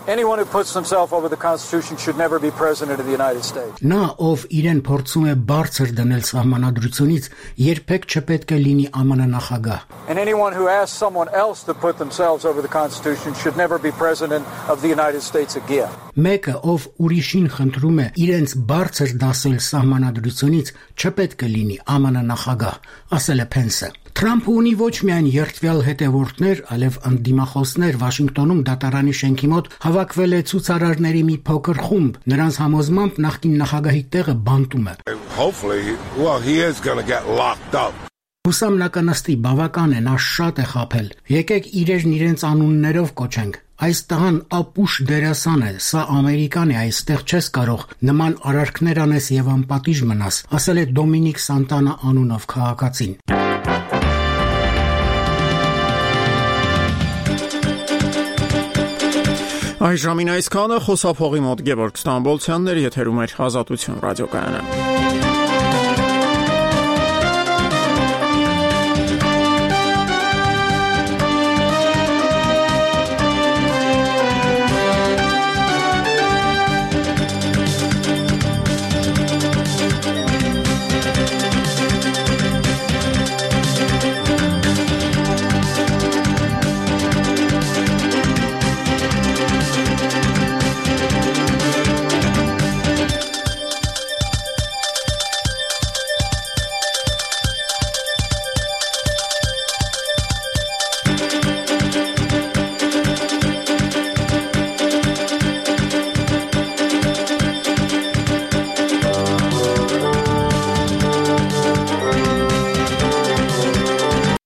anyone who puts themselves over the Constitution should never be president of the United States. Նա, ով իրեն փորձում է բարձր դնել սահմանադրությունից, երբեք չպետք է լինի ԱՄՆ նախագահ։ And anyone who asks someone else to put themselves over the Constitution should never be president of the United States again. Մեկը, ով ուրիշին խնդրում է իրենց բարձր դասել սահմանադրությունից, չպետք է լինի ԱՄՆ նախագահ, ասել է Փենսը։ Թրամփը ունի ոչ միայն երդվյալ հետևորդներ, այլև ընդդիմախոսներ Վաշինգտոնում դատարանի շենքի մոտ հավաքվել է ցուցարարների մի փոքր խումբ, նրանց համոզմամբ նախկին նախագահի տեղը բանտում է։ Հուսամ նա կնստի, բավական է, նա շատ է խաբել։ Եկեք իրերն իրենց անուններով կոչենք։ Այս տղան ապուշ դերասան է, սա Ամերիկան է, այստեղ չես կարող նման արարքներ անես եւ անպատիժ մնաս, ասել է Դոմինիկ Սանտանա անունով քաղաքացին։ Այս ժամին այսքանը խոսափողի մոտ Գևորգ Ստամբոլցյանն էր, եթերում էր Ազատություն ռադիոկայանը։